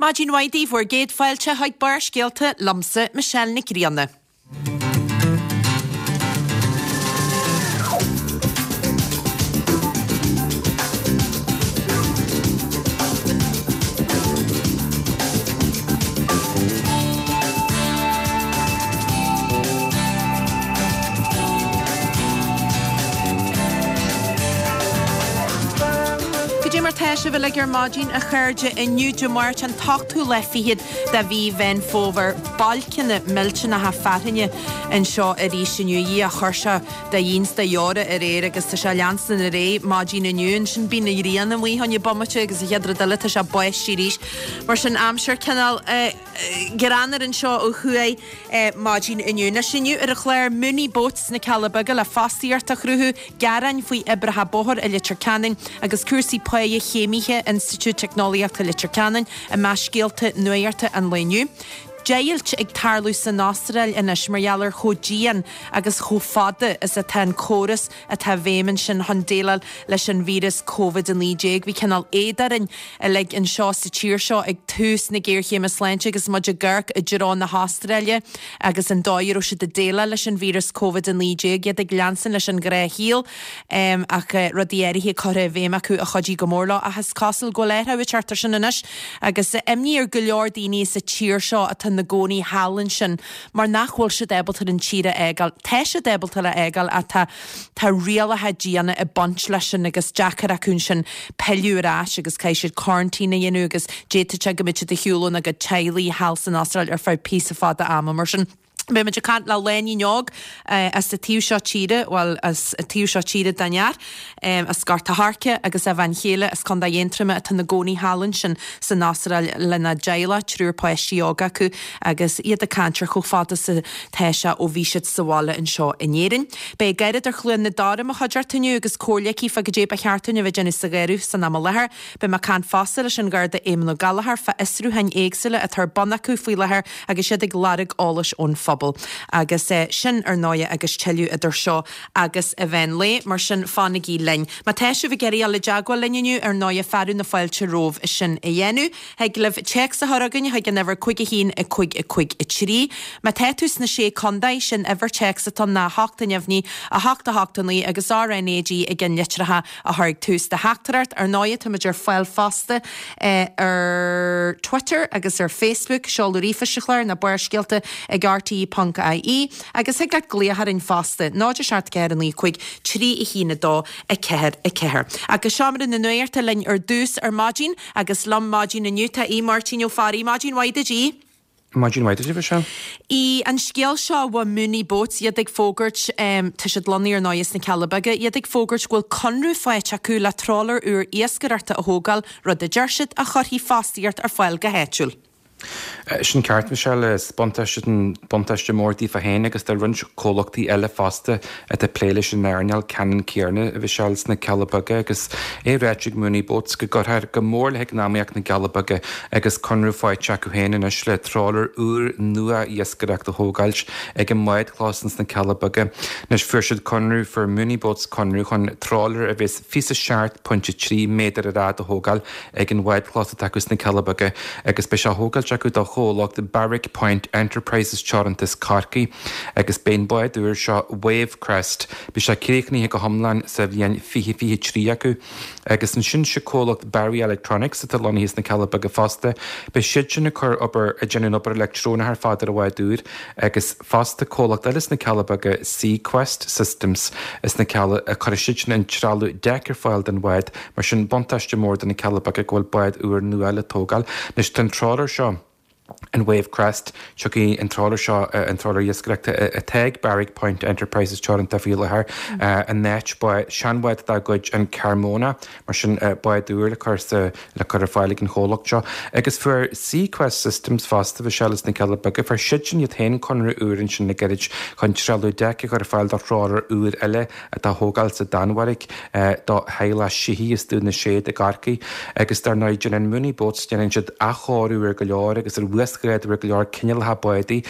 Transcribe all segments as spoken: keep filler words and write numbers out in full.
Maidin mhaith daoibh bhur gcéad fáilte chuig Barrscéalta liomsa Michelle Nic Grianna. Cad é mar tá sibh uilig ar maidin a chairde inniu Dé Máirt an t-ochtú lá fichead de mhí Mheán Fómhair bailceanna millteanacha fearthainne anseo arís inniu. A Dhia chuir sé de dhíon 's de dheora aréir agus tá sé ag leanstan ar aghaidh maidin inniu. Ansin bíonn an ghrian amuigh fá choinne bomaite agus an chéad rud eile tá sé báistí arís. Mar sin aimsir cineál greannmhar anseo ó thuaidh maidin inniu. Anois inniu ar an chlár Mooney Boats sna Cealla Beaga le fostaíocht a chruthú, gearáin faoi oibreacha bóthair i Leitir Ceanainn agus cúrsaí páighe chéimithe Institiúid Teicneolaíochta Leitir Ceanainn i measc scéalta nuachta an lae inniu. Deighilt ag tarlú san Astráil anois mar gheall ar chomh dian agus chomh fada is atá an córas atá i bhfeidhm ansin chun déileáil leis an víreas Covid a naoi déag. Bhí cineál éad orainn uilig anseo sa tír seo ag tús na géarchéime sláinte agus muid ag amharc i dtreo na hAstráile agus an dóigh a raibh siad ag déileáil leis an víreas Covid a naoi déag, iad ag leanstan leis an ghnáthshaol ach rudaí áirithe curtha i bhfeidhm acu a chuidigh go mór leo. Ach is cosúil go bhfuil athrú ag teacht ar sin anois agus imní ar go leor daoine sa tír seo atá ina gcónaí thall ansin mar nach bhfuil siad ábalta an tír a fhágáil. Tá siad ábalta a fhágáil ach tá tá rialacha diana ag baint leis sin agus deacair acu ansin pilleadh ar ais agus caithfidh siad quarantine a dhéanamh agus d'fhéadfadh sé go mbeadh siad ar shiúl óna gcuid teaghlaigh thall san Astráil ar feadh píosa fada ama mar sin. Beidh muid ag caint le lainín óg as an taobh seo tíre, bhuel, as an taobh seo tíre den fhear, as Gort a' Choirce agus a bhean chéile as Contae Aontroma atá ina gcónaí thall ansin san Astráil lena dteaghlach, triúr páistí óga acu agus iad ag caint ar chomh fada is atá sé ó bhí siad sa bhaile anseo in Éirinn. Beidh Gairid ar Chluain na Dara i mo chuideachta inniu agus comhairle aici fá goidé ba cheart dúinn a bheith ag déanamh sa gheimhreadh san am i láthair. Beidh mé ag caint fosta leis an Gharda Éamon Ó Gallchóir fá fhiosrúcháin éagsúla atá ar bun acu faoi láthair agus iad ag lorg eolais ón phobal. Agus sin, ar ndóighe, agus tuilleadh idir seo agus an mheán lae, mar sin fanaigí linn. Má tá sibh ag iarraidh dul i dteagmháil linn inniu, ar ndóighe, fearadh na fáilte romhaibh sin a dhéanamh. Thig libh téacs a chur chugainn chuig an uimhir cúig a haon a cúig a cúig a trí. Má tá tú sna Sé Contae, sin uimhir téacs atá ann ná a hocht a neamhní, a hocht a hocht a naoi agus R N A G ag an litreacha a chur ag tús do theachtaireacht. Ar ndóighe, táimid ar fáil fosta ar Twitter agus ar Facebook, seoladh ríomhphoist an chláir ná Barrscéalta ag R T E ponc I E agus thig leat glaoch orainn fosta, náid a seacht ceathair a naoi cúig trí a haon a dó a ceathair a ceathair. Agus seomra na nuachta linn ar dtús ar maidin agus liom maidin inniu tá Aodh Máirtín Ó Fearraigh. Maidin mhaith duit, Aodh. Maidin mhaith duit, a Mhichelle. Aodh, an scéal seo ó Mooney Boats, iad ag fógairt, tá siad lonnaithe ar ndóigh sna Cealla Beaga, iad ag fógairt go bhfuil conradh faighte acu le trawler úr iascaireachta a thógáil, rud a deir siad a chuirfidh fostaíocht ar fáil go háitiúil. Sin ceart, Michelle. Is buntáiste buntáiste mór daofa féin agus do roinnt comhlachtaí eile fosta atá ag plé leis an earnáil ceannann céanna, a Mhichelle, sna Cealla Beaga agus é ráite ag Mooney Boats go gcuirfear go mór le heacnamaíocht na gCealla Beaga agus conradh faighte acu féin anois le trawler úr nua iascaireachta a thógáilt ag an mbádchlós ins na Cealla Beaga. Anois fuair siad conradh, fuair Mooney Boats conradh chun trawler a bheas fiche seacht pointe trí méadar ar fhad a thógáil ag an bhádchlós atá acu sna Cealla Beaga agus beidh sé á thógáilt acu do chomhlacht Barrack Point Enterprises Teoranta as Corcaigh agus beidh an bád úr seo Wave Crest, beidh sé críochnaithe go hiomlán sa bhliain fiche fiche trí acu. Agus ansin sé comhlacht Barry Electronics atá lonnaithe sna Cealla Beaga fosta, beidh siadsin ag cur obair, ag déanamh an obair leictreonach ar fad ar an bhád úr agus fosta comhlacht eile sna Cealla Beaga Seaquest Systems sna Cealla, cuirfidh siadsin an trealamh deic ar fáil don bhád. Mar sin, buntáiste mór do na Cealla Beaga go bhfuil bád úr nua le tógáil. Anois, tá an trawler seo, an Wave Crest, tiocfaidh an trawler seo, an trawler iascaireachta atá ag Barrack Point Enterprises Teoranta faoi láthair, in áit seanbhád dá gcuid, an Carmona. Mar sin, bád úr le cur sa, le cur ar fáil ag an chomhlacht seo. Agus fuair Seaquest Systems fosta, Mhichelle, sna Cealla Beaga, fuair siadsin iad féin conradh úr ansin le gairid chun trealamh deic a chur ar fáil do thrawler úr eile atá á thógáil sa Danmhairg do theaghlach Sheehy as Dún na Séad i gCorcaigh. Agus dar ndóigh, déanann Mooney Boats, déanann siad athchóiriú ar go leor agus ar uasghrádú ar go leor cineálacha bádaí.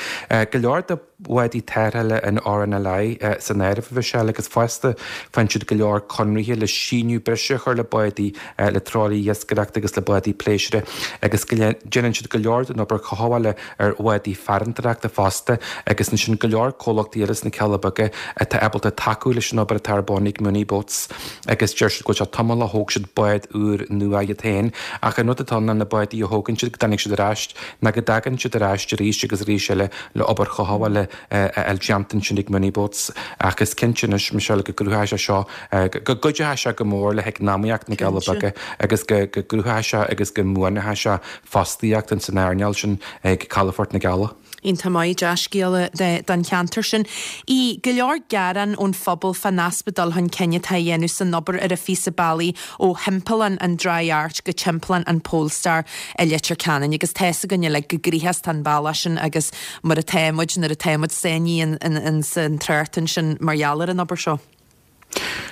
Go leor de bhádaí tarrthála an R N L I san áireamh, a Mhichelle, agus fosta faigheann siad go leor conraithe le síneadh breise a chur le bádaí, le trálaeir iascaireachta agus le bádaí pléisiúir agus go déanann siad go leor den obair chothabhála ar bhádaí farantóireachta fosta agus ansin go leor comhlachtaí eile sna Cealla Beaga atá ábalta tacú leis an obair atá ar bun ag Mooney Boats agus deir siad go bhfuil sé tamall ó thóg siad bád úr nua iad féin ach an rud atá ann ná na bádaí a thógann siad go dtáinig siad ar ais ná go dtagann siad ar ais arís agus arís eile le obair chothabhála a fháil déanta ansin ag Mooney Boats ach is cinnte anois, Michelle, go gcruthóidh sé seo go gcuideoidh sé go mór le heacnamaíocht na gCealla Beaga agus go gcruthóidh sé agus go mbuanóidh sé fostaíocht in san earnáil sin ag Calafort na gCealla. Iontach maith, dea-scéala don cheantar sin. Í go leor gearán ón phobal fán easpa dul chun cinn atá á dhéanamh san obair ar an phíosa bealaigh ó thimpeallán an Dry Arch go timpeallán an Polestar i Leitir Ceanainn agus tá 'fhios againn uilig go gnoitheach atá an bealach sin agus mar atá muid nuair atá muid sáinnithe in san trácht ansin mar gheall ar an obair seo.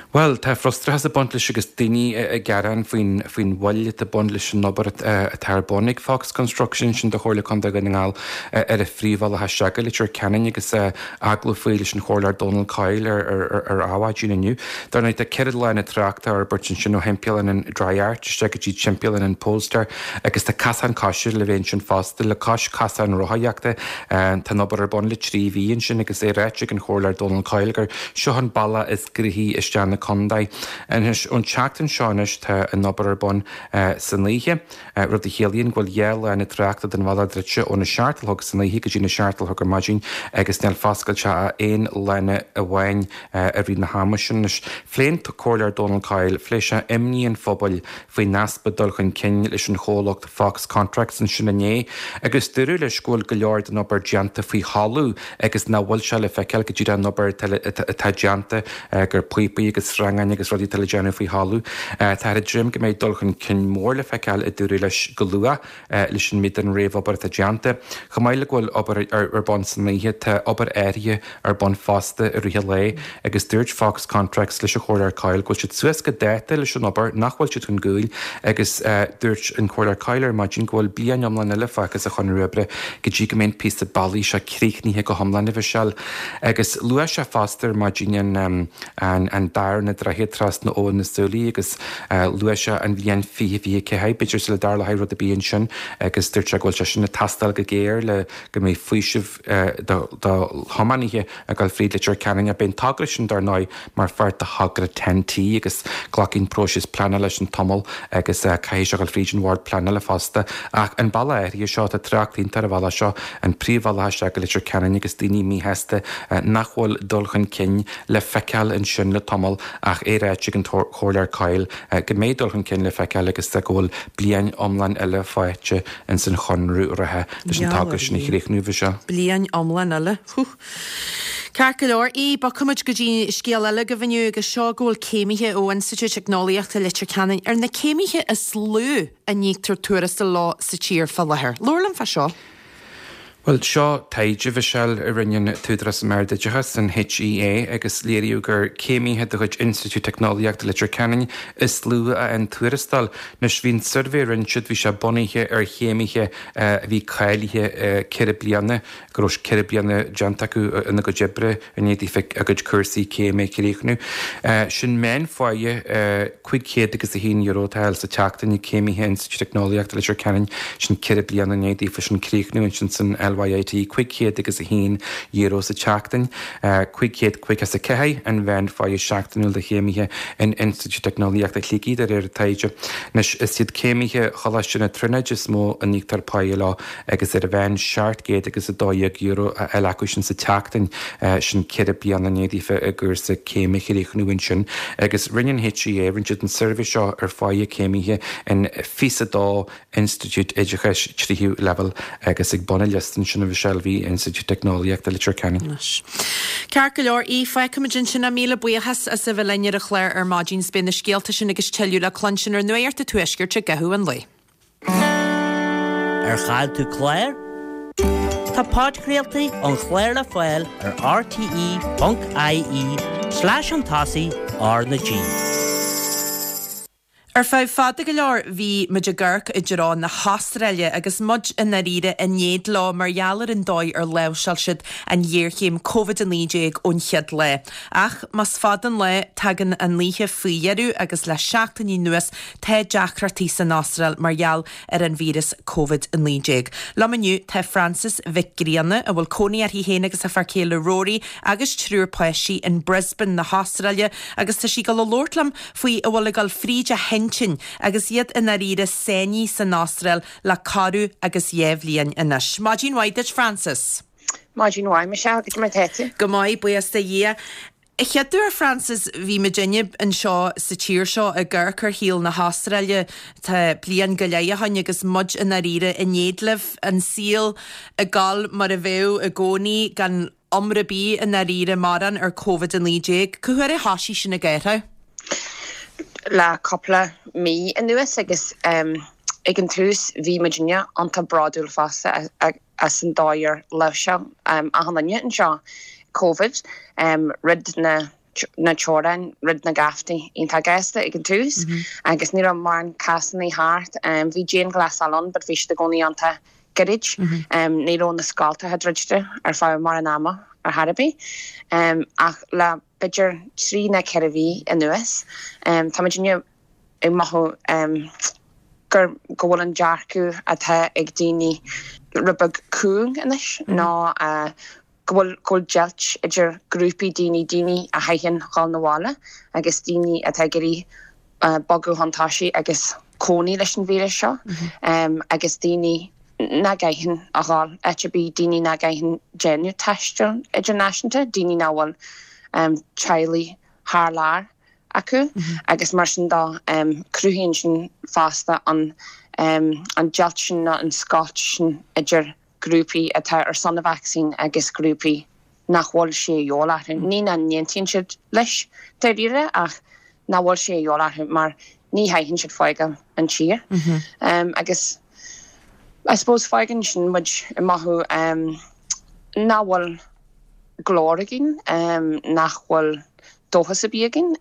Bhuel, tá frustrachas ag baint leis agus daoine ag gearán faoin faoin mhoill atá ag baint leis an obair atá ar bun ag Fox Construction sin do Chomhairle Contae Dhún na nGall ar an phríomhbhealach isteach go Leitir Ceanainn agus agallamh faoi leis an Chomhairleoir Donal Coyle ar ar Adhmhaidin inniu. Dar ndóigh tá ceithre lána tráchta á fhorbairt ansin ó thimpeallán an Dry Arch isteach go dtí timpeallán an Polestar agus tá casán coise le bheith ansin fosta le cois casán rothaíochta. Tá an obair ar bun le trí mhí ansin agus é ráite ag an Chomhairleoir Donal Coyle gur seo an bealach is gnoithí isteach na contae. Anois ón tseachtain seo anois tá an obair ar bun san oíche, rud a chiallaíonn go bhfuil dhá lána tráchta den bhealach druidte óna seacht a chlog san oíche go dtí na seacht a chlog ar maidin agus níl foscailte ach aon lána amháin i rith na hama sin. Anois phléigh an Comhairleoir Donal Coyle, phléigh sé imní an phobail faoin easpa dul chun cinn leis an chomhlacht Fox Contracts ansin inné agus dúradh leis go bhfuil go leor den obair déanta faoi thalamh agus nach bhfuil sé le feiceáil go dtí an obair atá déanta gur píopaí agus sreangáin agus rudaí atá le déanamh faoi thalamh. Tá ag dréim go mbeidh dul chun cinn mór le feiceáil a dúradh leis go luath leis an méid den réamhobair atá déanta. Chomh maith le go bhfuil obair ar bun san oíche tá obair áirithe ar bun fosta i rith an lae agus dúirt Fox Contracts leis an Chomhairleoir Coyle go bhfuil siad suas go dáta leis an obair nach bhfuil siad chun cúil agus dúirt an Comhairleoir Coyle ar maidin go bhfuil bliain iomlán eile fágtha sa chonradh oibre go dtí go mbeidh an píosa bealaigh seo críochnaithe go hiomlán a Mhichelle. Agus luaigh sé fosta ar maidin an an an darna droichead trasna Abhainn na Súilí agus luaigh sé an bhliain fiche fiche ceathair b'fhéidir sula dtarlóidh rud ar bith ansin agus dúirt sé go bhfuil sé sin ag teastáil go géar le go mbeidh faoiseamh do thiománaithe ag dul fríd Leitir Ceanainn. Beidh an togra sin dar ndóigh mar pháirt de thogra Ten T agus glacfaidh an próiseas pleanála leis an tamall agus caithfidh sé dul fríd an bhord pleanála fosta. Ach an bealach áirithe seo tá trácht iontach ar an bhealach seo an príomhbhealach isteach go Leitir Ceanainn agus daoine míshásta nach bhfuil dul chun cinn le feiceáil ansin le tamall ach é ráite ag an Chomhairleoir Coyle go mbeidh dul chun cinn le feiceáil agus go bhfuil bliain iomlán eile faighte in san chonradh reatha leis an togra sin a chríochnú seo. Bliain iomlán eile. Ceart go leor í bogfaimid go dtí scéal eile go bhfiú agus seo go bhfuil céimithe ó Institiúid Teicneolaíochta Leitir Ceanainn ar na céimithe is lú a n-íoctar tuarastal leo sa tír fá láthair. Labhair liom fá seo. Well seo taighde Mhichelle a rinne an tÚdarás um Ard-Oideachas an H E A agus léiríodh gur céimithe de chuid Institiúid Teicneolaíochta Leitir Ceanainn is lú a fhaigheann tuarastal. Anois bhí an suirbhé a rinne siad bhí sé bunaithe ar chéimithe a bhí cáilithe ceithre bliana go raibh ceithre bliana déanta acu ina gcuid oibre i ndiaidh daofa a gcuid cúrsaí céime a chríochnú. Sin meánphá cúig chéad agus a haon euro atá sa tseachtain ag céimithe Institiúid Teicneolaíochta Leitir Ceanainn sin ceithre bliana i ndiaidh daofa sin críochnú ansin san L Y I T cúig chéad agus a haon euro sa tseachtain, cúig chéad caoga is a ceathair an mheánphá seachtainiúil do chéimithe in Institiúid Teicneolaíochta Shligigh de réir taighde. Anois is iad céimithe Choláiste na Tríonóide is mó a n-íoctar pá leo agus ar a mheán seacht gcéad agus a dó dhéag euro a fháil acu sin sa tseachtain sin ceithre bliana i ndiaidh daofa a gcúrsa céime a chríochnú ansin. Agus rinne an H E A rinne siad an suirbhé seo ar phá céimithe in fiche a dó Institiúid Oideachais tríú leibhéal agus ag bun an liosta sin a Mhichelle bhí Institiúid Teicneolaíochta Leitir Ceanainn. Ceart go leor í fágfaimid ansin é míle buíochas as a bheith linn ar an chlár ar maidin beidh na scéalta sin agus tuilleadh le cluinstin ar Nuacht an Tuaiscirt i gcaitheamh an lae. Ar chaill tú clár? Tá podchraoltaí an chláir le fáil ar R T E ponc I E slash an tosaigh R na G. Ar feadh fada go leor bhí muid ag amharc i dtreo na hAstráile agus muid i ndáiríre in éad leo mar gheall ar an dóigh ar láimhseáil siad an ghéarchéim Covid a naoi déag ón chéad lá. Ach más fada an lá, tagann an oíche faoi dheireadh agus le seachtainí anuas tá deacrachtaí san Astráil mar gheall ar an víreas Covid a naoi déag. Liom inniu tá Frances Mhic Grianna, a bhfuil cónaí uirthi féin agus a fear céile Rory agus triúr páistí in Brisbane na hAstráile agus tá sí ag dul a labhairt liom faoi a bhfuil ag dul fríd a hintinn agus iad i ndáiríre sáinnithe san Astráil le corradh agus dhá bhliain anois. Maidin mhaith duit, Frances. Maidin mhaith, Michelle, goidé mar tá tú? Go maith, buíochas do Dhia. A chéaduair, Frances, bhí muidinne anseo sa tír seo ag amharc ar shaol na hAstráile tá bliain go leith ó shin agus muid i ndáiríre in éad libh, an saol ag dul mar a bheadh i gcónaí gan iomrá ar bith i ndáiríre mórán ar Covid a naoi déag. Cá huair a thoisigh sin ag athrú? Le cúpla mí anuas agus ag an tús bhí muidinne iontach bródúil fosta as an dóigh ar láimhseáil achan duine anseo Covid, rud na na teorainn, rud na gabhtaí iontach gasta ag an tús agus ní raibh mórán cásanna thart. Bhí dianghlasáil ann but bhí siad i gcónaí iontach gairid. Ní raibh na scoltacha druidte ar feadh mórán ama ar chor ar bith. Ach le b'fhéidir trí nó ceithre mhí anuas, tá muidinne ag mothú gur go bhfuil an dearcadh atá ag daoine rud beag cúng anois nó go bhfuil go bhfuil deighilt idir grúpaí daoine, daoine a chaitheann dhul 'na bhaile agus daoine atá ag iarraidh bogadh chun tosaigh agus cónaí leis an víreas seo agus daoine nach gcaitheann a dhul áit ar bith, daoine nach gcaitheann déanamh taisteal idirnáisiúnta, daoine nach bhfuil teaghlaigh thar lear acu agus mar sin de cruthaíonn sin fosta an an deighilt sin nó an scoilt sin idir grúpaí atá ar son na vacsaín agus grúpaí nach bhfuil sé a dhíobháil orthu. Ní nach n-aontaíonn siad leis dáiríre ach nach bhfuil sé a dhíobháil orthu mar ní chaitheann siad fágáil an tír. Agus I suppose fágann sin muid ag mothú nach bhfuil glór againn, nach bhfuil dóchas ar bith againn.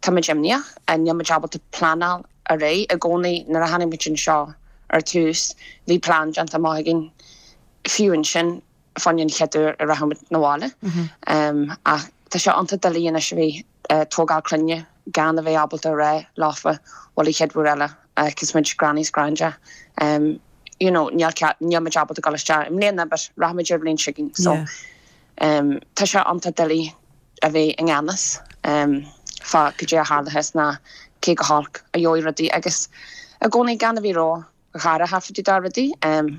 Tá muid imníoch, níl muid ábalta pleanáil ar aghaidh i gcónaí. Nuair a tháinig muid anseo ar tús, bhí plean déanta amach againn fiú ansin fá choinne an chéad uair a rachaidh muid 'na bhaile. Ach tá sé iontach doiligh anois a bheith ag tógáil clainne gan a bheith ábalta a rá leofa bhuel an chéad uair eile agus muid granny is granda you know níl níl muid ábalta dul isteach i mbliana but rachaidh muid ar bhliain seo chugainn so um, tá sé iontach doiligh a bheith i ngan fhios um, fá goidé a tharlós ná cé chomh holc a gheobhaidh rudaí agus i gcónaí gan a bheith ró-dhearfach fá dtaobh de rudaí um,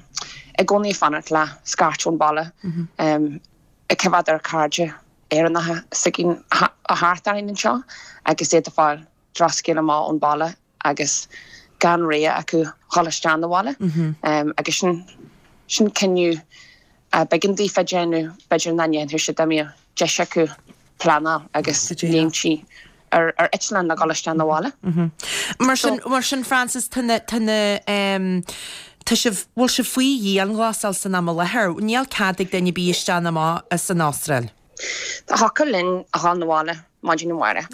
i gcónaí fanacht le scairt ón bhaile um, ag coimhéad ar cairde Éireannacha s'againn a thart orainn anseo agus iad ag fáil drochscéal amach ón bhaile agus gan rogha acu dhul isteach 'na bhaile agus sin sin cinneadh a b'éigean daofa déanamh b'fhéidir nach ndéanfadh siad dá mbeadh deis acu pleanáil agus léimtí ar ar eitleán le dhul isteach 'na bhaile. Mar sin mar sin Frances tá na tá na tá sibh bhfuil sibh faoi dhianghlasáil san am i láthair, níl cead ag duine ar bith isteach ná amach as an Astráil. Thiocfadh linn a dhul 'na bhaile maidin amárach.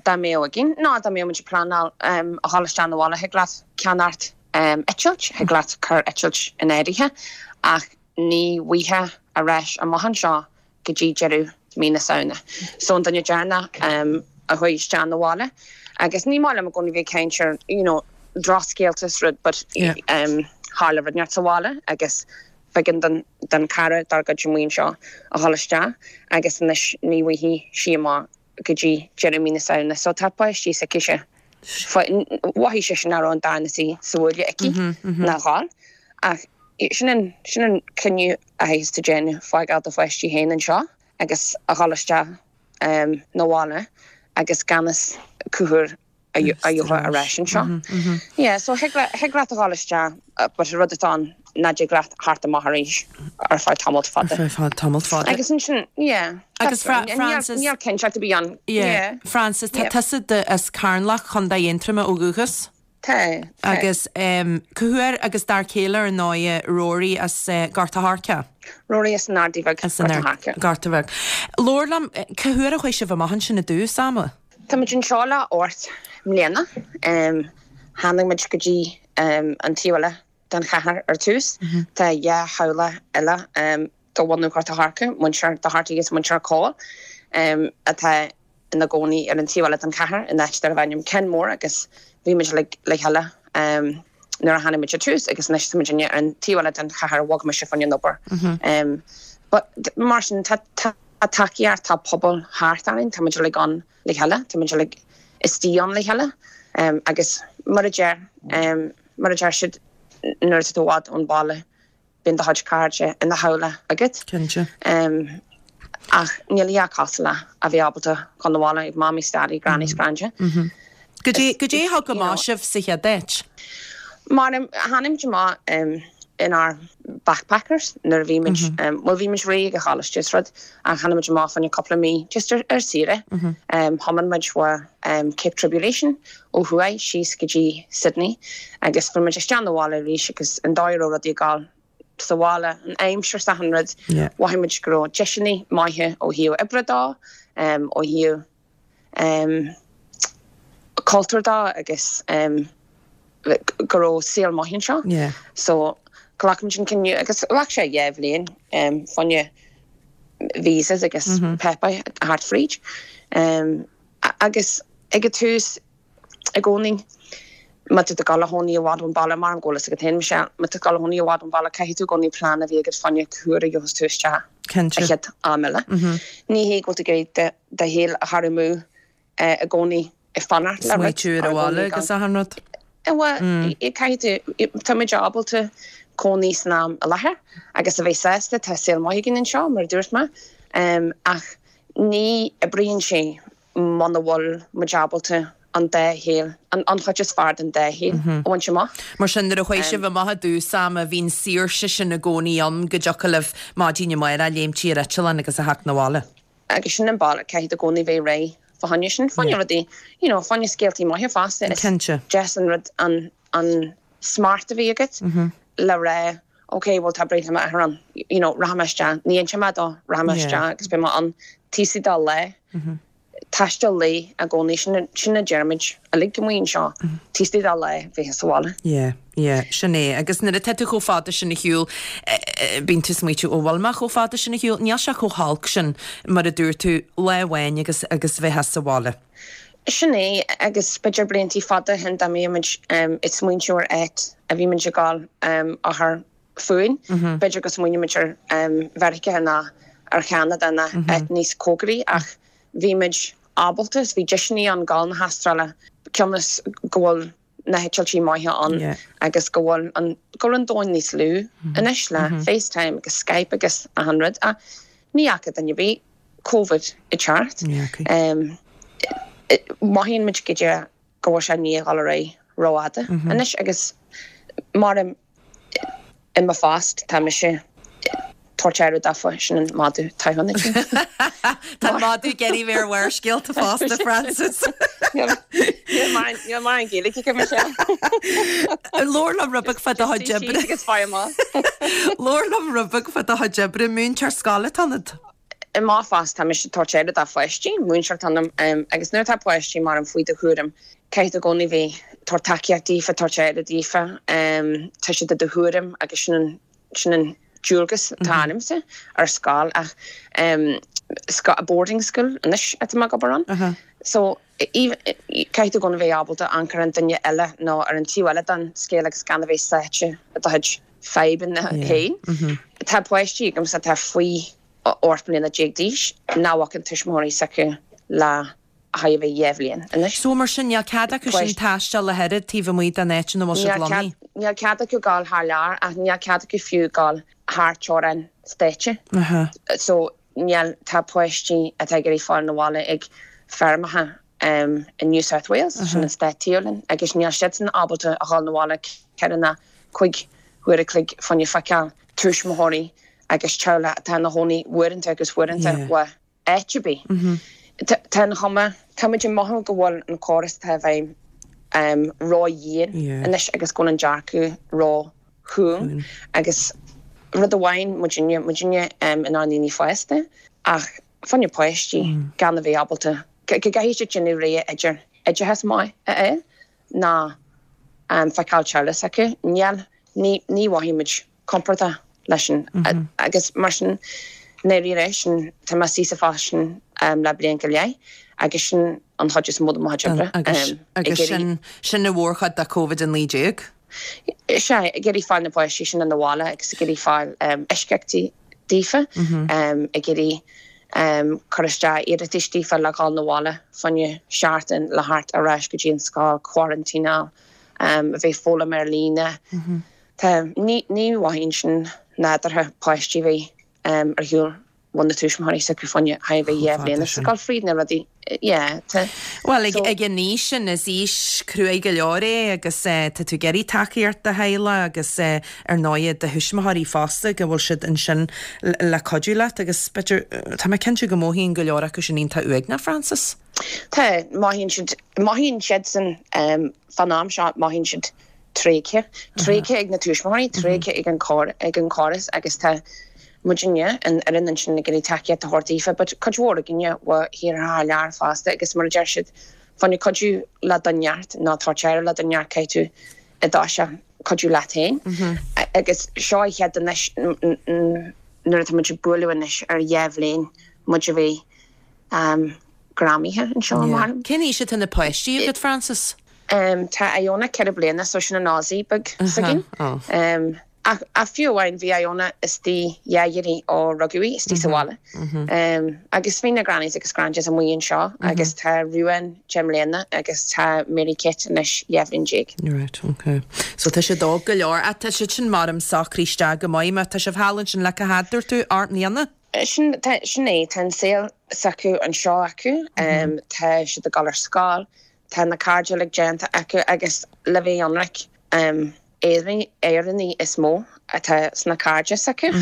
Dá mbeadh againn, nó dá mbeadh muid ag pleanáil a dhul isteach 'na bhaile, thig leat ceannacht eitilt, thig leat cur eitilt in áirithe, ach ní bhfaighfeá ar ais amach anseo go dtí deireadh mí na Samhna. So an duine deireanach a chuaigh isteach 'na bhaile, agus ní maith liom i gcónaí bheith ag caint ar, you know, drochscéalta is rud, but tharla rud inteacht sa bhaile agus b'éigean don don cara dár gcuid amuigh anseo a dhul isteach agus anois ní bhfaighidh sí amach go dtí deireadh mí na Samhna. So tá páistí s'aicise. Mhothaigh sise nach raibh an darna suí sa bhuaile aici ná dhul. Ach sin an sin an cinneadh a chaithfeas tú déanamh, fágáil do pháistí féin anseo agus a dhul isteach 'na bhaile agus gan fhios cá huair a gheofá ar ais anseo. Yeah, so thig thig leat a dhul isteach but an rud atá ann ná dtig leat theacht amach arís ar feadh tamalt fada. Ar feadh tamalt fada. Agus ansin, yeah. Agus Frances. Níl cinnteacht ar bith ann. Yeah. Frances, tá tusa as Carnlach, Contae Aontroma ó dhúchas? Tá. Agus cá huair agus d'fhear céile ar ndóigh Rory as Gort a' Choirce? Rory as an Ardaí Bheag, As an Gort a' Choirce. Gort a' Bheag. Labhair liom, cá huair a chuaigh sibh amach ansin i dtús ama? Tá muid anseo le ocht mbliana. Tháinig muid go dtí an taobh eile den chathair ar tús. Tá dhá theaghlach eile de bhunadh Ghort an Choirce, muintir Doherty agus muintir Cole, atá ina gcónaí ar an taobh eile den chathair in áit darbh ainm Kenmore agus bhí muid le chéile nuair a tháinig muid ar tús agus anois tá muid ar an taobh eile den chathair bhog mise fá choinne an obair. But mar sin tá tacaíocht, tá pobal thart orainn, tá muid uilig ann le chéile, tá muid uilig istigh ann le chéile agus mar a deir, mar a deir siad nuair atá tú i bhfad ón bhaile bíonn do chuid cairde ina theaghlach agat. Cinnte. Ach níl a dhath cosúil le a bheith ábalta dhul 'na bhaile ag mamaí 's daidí, granny 's granda. Goidé, goidé a thug amach sibh sa chéad áit? Mar tháinig muid amach inár backpackers nuair a bhí muid, bhuel bhí muid réidh ag an choláiste is rud ach tháinig muid amach fá choinne cúpla mí just ar ar saoire. Thiomáin muid ó Cape Tribulation ó thuaidh síos go dtí Sydney agus fuair muid isteach 'na bhaile arís agus an dóigh a raibh rudaí ag gabháil sa bhaile, an aimsir 's achan rud, mhothaigh muid go raibh deiseanna maithe ó thaobh oibre dó, ó thaobh cultúr dó agus go raibh saol maith anseo. So ghlac muid an cinneadh agus ghlac sé dhá bhliain fá choinne visas agus páipéir a theacht fríd. Agus ag an tús i gcónaí má tá tú ag dul a chónaí i bhfad ón bhaile, mar an bhfuil a fhios agat féin Michelle, má tá tú ag dul a chónaí i bhfad ón bhaile caithfidh tú i gcónaí plean a bheith agat fá choinne cá huair a gheobhas tú isteach an chéad am eile. Ní hé go bhfuil tú ag iarraidh do shaol a chur amú i gcónaí ag fanacht le rud. Smaoitiú ar an bhaile agus achan rud. Bhuel, caithfidh tú, tá muid ábalta cónaí san am i láthair agus a bheith sásta, tá saol maith againn anseo, mar a dúirt mé, ach ní oibríonn sé muna bhfuil muid ábalta an dá shaol, an chuid is fearr den dá shaol a bhaint amach. Mar sin, nuair a chuaigh sibh amach i dtús ama, bhí an saoirse sin i gcónaí ann go dtiocfadh libh maidin amárach léimt ar eitleán agus a theacht 'na bhaile. Agus sin an bealach, caithfidh tú i gcónaí bheith réidh fá choinne sin, fá choinne rudaí, you know, fá choinne scéaltaí maithe fosta. Is Cinnte. deas an rud an, an smacht a bheith agat le rá, ok, bhuel tá breithlá m'athar ann, you know, rachaidh mé isteach, ní inseoidh mé dó, rachaidh mé isteach agus beidh mé ann taobh istigh de lá. Taisteal lae i gcónaí, sin, sin a deirimid uilig amuigh anseo, taobh istigh de lá bheith sa bhaile. Yeah, yeah, sin é. Agus nuair atá tú chomh fada sin ar shiúl, bíonn tú ag smaoitiú, ó bhfuil mé chomh fada sin ar shiúl? Níl sé chomh holc sin, mar a dúirt tú, lá amháin agus, agus bheith sa bhaile. Sin é, agus b'fhéidir bliantaí fada ó shin dá mbeadh muid ag smaointiú ar áit a bhí muid ag gabháil a chur fúinn, b'fhéidir go smaoineodh muid ar Mheiriceá ná ar Cheanada ná áit níos cóngaraí ach bhí muid ábalta is bhí deiseanna ann gabháil na hAstráile cionn is go bhfuil na heitiltí maithe ann agus go bhfuil an go bhfuil an domhan níos lú anois le FaceTime agus Skype agus achan rud ach ní fhaca duine ar bith Covid ag teacht. Mothaíonn muid go dtí go bhfuil sé i ndiaidh dhul ar aghaidh rófhada anois agus mar i mo phost tá mise tabhairt aire daofa, sin an madadh toghcháin ansin. Tá an madadh ag iarraidh bheith ar Bharrscéalta fosta, Frances. Níl mar an Ghaeilge aici, Michelle. Labhair liom rud beag fá do chuid oibre. Agus faigh amach. Labhair liom rud beag fá do chuid oibre, múinteoir scoile atá ionat. I mo phost tá mise ag tabhairt aire do pháistí, múinteoir atá ionam, agus nuair atá páistí mar faoi do chúram, caithfidh tú i gcónaí bheith tabhairt tacaíocht daofa, tabhairt aire daofa, tá siad i do chúram agus sin an, sin an dualgas atá ormsa ar scoil ach boarding school anois atá mé ag obair ann. So caithfidh tú i gcónaí bheith ábalta amharc ar an duine eile nó ar an taobh eile den scéal agus gan a bheith sáite i do chuid fadhbanna féin. Tá páistí agamsa atá faoi ocht mbliana déag d'aois nach bhfaca tuismitheoirí s'acu le chóir a bheith dhá bhliain anois. So mar sin níl cead acu sin taisteal ach oiread taobh amuigh den áit ina bhfuil siad lonnaithe? Níl cead acu gabháil thar lear ach níl cead acu fiú gabháil thar teorainn stáite. So níl, tá páistí atá ag iarraidh fáil 'na bhaile ag feirmeacha i New South Wales, sin an stát taobh linn, agus níl siadsan ábalta a dhul 'na bhaile ceithre ná cúig huaire a chloig fá choinne feiceáil tuismitheoirí agus teaghlach atá ina chónaí uaireanta agus uaireanta uaidh áit ar bith. Tá an chuma, tá muid ag mothú go bhfuil an córas atá i bhfeidhm ró-dhian anois agus go bhfuil an dearcadh ró-chúng agus rud amháin muidinne, muidinne inár ndaoine fásta ach fá choinne páistí gan a bheith ábalta go gcaithfidh siad déanamh rogha idir oideachas maith a fháil ná feiceáil teaghlach s'acu. Níl, ní ní mhothaímid compordach leis sin agus mar sin ndáiríre sin tá mé istigh sa phost sin le bliain go leith agus sin an chuid is mó de mo chuid oibre. Agus agus sin sin an mhórchuid de Covid a naoi déag? Sea, ag iarraidh fáil na páistí sin ina bhaile agus ag iarraidh fáil eisceachtaí daofa, ag iarraidh cur isteach iarratais daofa le dhul 'na bhaile fá choinne seachtain le theacht ar ais go dtí an scoil, quarantineáil, a bheith ag foghlaim ar líne. Tá, ní ní mhothaíonn sin nádúrtha páistí a bheith ar shiúl ó na tuismitheoirí s'acu fá choinne a bheith dhá bhliain is ag dul fríd na rudaí, yeah, tá. Bhuel, ag ag an aois sin, is aois cruaidh go leor é agus tá tú ag iarraidh tacaíocht do theaghlach agus ar ndóighe do thuismitheoirí fosta go bhfuil siad ansin le cuidiú leat agus b'fhéidir, tá mé cinnte go mothaíonn go leor acu sin iontach uaigneach, Frances. Tá, mothaíonn siad, mothaíonn siadsan fán am seo, mothaíonn siad tréigthe, tréigthe ag na tuismitheoirí, tréigthe ag an ag an chóras agus tá muidinne, an fhoireann ansin ag iarraidh tacaíocht a thabhairt daofa but cuid mhór againne ó thíortha thar lear fosta agus mar a deir siad fá choinne cuidiú le do neart nó tabhairt aire le do neart caithfidh tú i dtosach cuidiú leat féin agus seo an chéad anois nuair atá muid ag bualadh anois ar dhá bhliain muid a bheith greamaithe anseo mar. Cén aois atá na páistí agat Frances? Tá Iona ceithre bliana so sin an Aussie beag s'againn. Ach ach fiú amháin bhí Iona istigh dhá iarraidh ó rugadh í istigh sa bhaile. Agus bhí na grannies agus grandads amuigh anseo agus tá Ruan deich mbliana agus tá Mary Kate anois dhá bhliain déag. Right, ok. So tá siad óg go leor. Ach tá siad sin mar socraithe isteach go maith. Má tá sibh thall ansin le cá fhad dúirt tú, ocht mbliana? Sin tá sin é, tá an saol s'acu anseo acu, tá siad ag dul ar scoil, tá na cairde uilig déanta acu agus le bheith ionraic, Éireannaigh is mó atá sna cairde s'acu.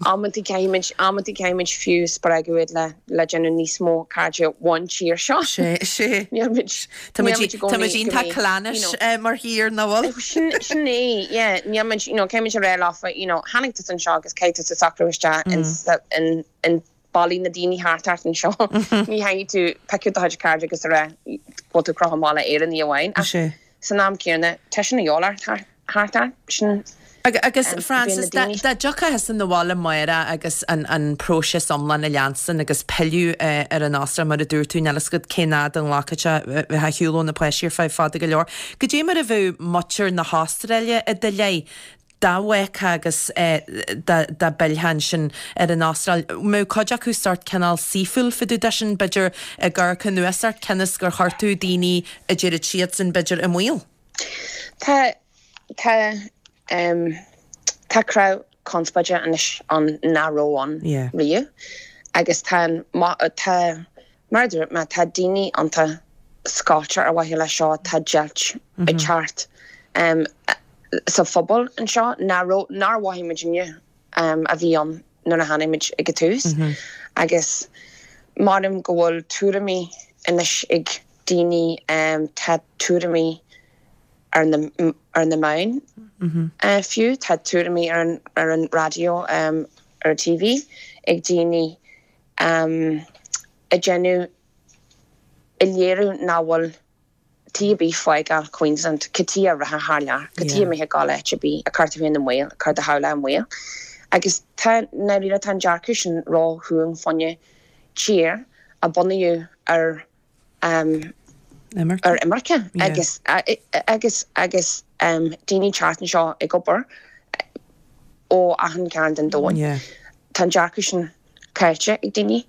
Amanntaí caithfimid, amanntaí caithfimid fiú spreagadh iad le le déanamh níos mó cairde ón tír seo. Sé, sé. Níl muid, Tá níl muid, muid i tá gcónaí muid go iontach mbeidh, you clannish know. mar thír, nach bhfuil? Sin, sin é, yeah. Níl muid, you know, caithfimid a rá leofa, you know, tháinig tusa anseo agus caithfidh tusa socrú isteach in in in ballaí na daoine thart ort anseo. Ní thagann tú piocadh do chuid cairde agus a rá go bhfuil tú ag crochadh amach le Éireannaigh amháin. Ach Sé. san am céanna, tá sin a dhíobháil ort thart thart ort. Sin Agus um, bíonn na Frances, dá daoine. dá dtiocfá thusa 'na bhaile amárach agus an an próiseas iomlán a leanstan agus pilleadh eh, ar an Astráil mar a dúirt tú, níl a fhios agat cén fhad a nglacfaidh sé bheith ar shiúl ó na páistí ar feadh fada go leor. Goidé mar a bheadh muintir na hAstráile i do leith dá bhfágfá agus eh, dá dá bpillfeá ansin ar an Astráil. Mbeadh cuid acu sórt cineál saoithiúil fá dtaobh de sin, b'fhéidir ag amharc anuas ort cionn is gur chuir tú daoine a deirid siadsan b'fhéidir i mbaol. Tá tá um, tá cruth conspóide anois ann nach raibh ann Yeah. riamh agus tá an ma- tá mar a dúirt mé tá daoine iontach scoilte ar mhaithe leis seo tá deighilt ag teacht um, sa phobal anseo nach raibh nár mhothaigh muidinne um, a bhí ann nuair a tháinig muid ag an tús agus maram go bhfuil tuairimí anois ag daoine um, tá tuairimí ar na ar na meáin uh, fiú tá tuairimí ar an ar an raidió um, ar T V ag daoine um, ag déanamh ag léiriú nach bhfuil tí bí fágáil Queensland go tí a reatha thar lear, go tí Yeah. méthe gáil bí a cur tú féin i mbaol, cur do theaghlach i mbaol. Agus tá na tá an dearcadh sin ró-chúng fá choinne tír a bunaíodh ar um, Imirce? ar imirce Yeah. agus a- agus agus um, daoine teacht anseo ag obair ó achan cearn den domhan. Yeah. Tá an dearcadh sin caillte ag daoine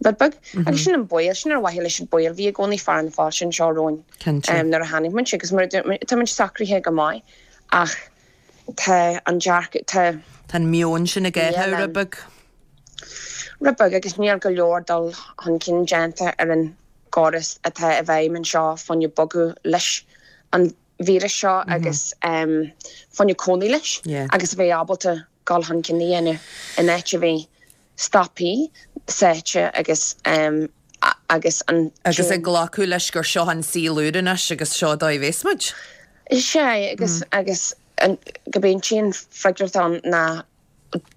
rud beag agus sin an baol sin ar mhaithe leis an baol bhí i gcónaí fear na fáilte anseo romhainn Cinnte. um, nuair a tháinig muid agus mar tá muid socraithe go maith ach tá an dearcadh tá Tá an meon sin ag Níl, rud um, beag. rud beag agus níl go leor dul chun cinn déanta ar an gcóras atá i bhfeidhm anseo fá choinne bogadh leis an víreas seo agus um, fá choinne cónaí leis Yeah. agus a bheith ábalta dul chun cinn a dhéanamh in áit a bheith stoptha sáite agus um, a- agus an Agus ag glacadh leis gur seo an saol úr anois agus seo dá bhéas muid. Sé agus agus an- go bíonn tíon freagrach ann ná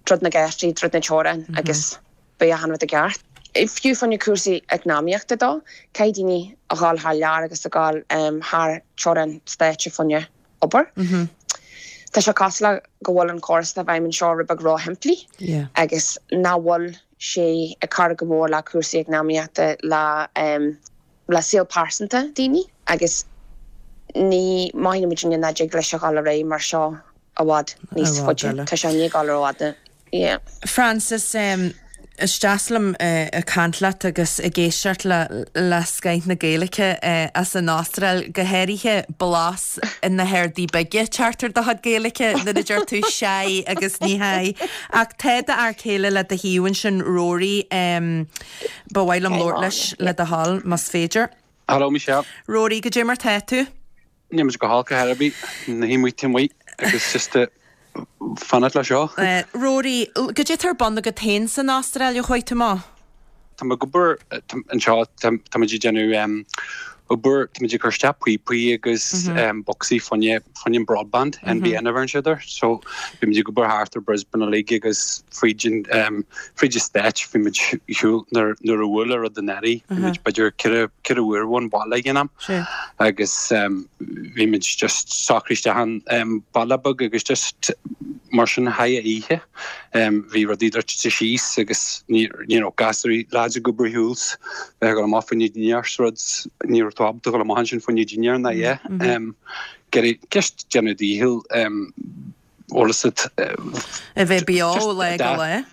druid na geistí, druid na teorainn agus beidh an rud i gceart. Fiú fá choinne cúrsaí eacnamaíochta dó, caithfidh daoine a dhul thar lear agus a dhul thar teorainn stáit fá choinne obair. Tá sé cosúil le go bhfuil an córas atá i bhfeidhm anseo rud beag róshimplí agus nach bhfuil sé ag cur go mór le cúrsaí eacnamaíochta le le saol pearsanta daoine agus ní mothaíonn muidinne nach dtig leis a dhul ar aghaidh mar seo i bhfad níos faide. Tá sé i ndiaidh dul rófhada. Yeah. Frances, Is deas liom ag caint leat agus ag éisteacht le le scoth na Gaeilge as an Astráil, go háirithe blas na hArdaí Bige ag teacht ar do chuid Gaeilge nuair a deir tú 'seadh' agus ní headh. Ach tá d'fhear céile le do thaobh ansin, Rory, ba mhaith liom labhairt leis le do thoil, más féidir. Hello Michelle. Rory, goidé mar tá tú? Níl muid go holc ar bith, na hamuigh taobh amuigh agus just fanacht le seo. Rory, goidé atá ar bun agat féin san Astráil ó chuaigh tú amach? Tá mé ag obair anseo, tá muid ag déanamh obair, tá muid ag cur isteach píopaí agus bocsaí fá choinne, fá choinne an broadband, NBN a bheireann siad air. So bhí muid ag obair thart ar Brisbane uilig agus fríd an, fríd an Stáit, bhí muid ar shiúl nuair a bhuail an rud anuraidh, bhí muid b'fhéidir ceithre, ceithre uair ón bhaile ag an am. Agus bhí muid just socraithe isteach in baile beag agus just mar sin chaith oíche. Bhí rudaí druidte síos agus ní you know gasúraí lads ag obair ar shiúl 's bheith ag dul amach fá choinne dinnéar 's rud ní raibh tú ábalta dul amach ansin fá choinne dinnéar ná yeah. Ag just déanamh do dhícheall bhfuil fhios agat. A bheith beo ó lá go lá.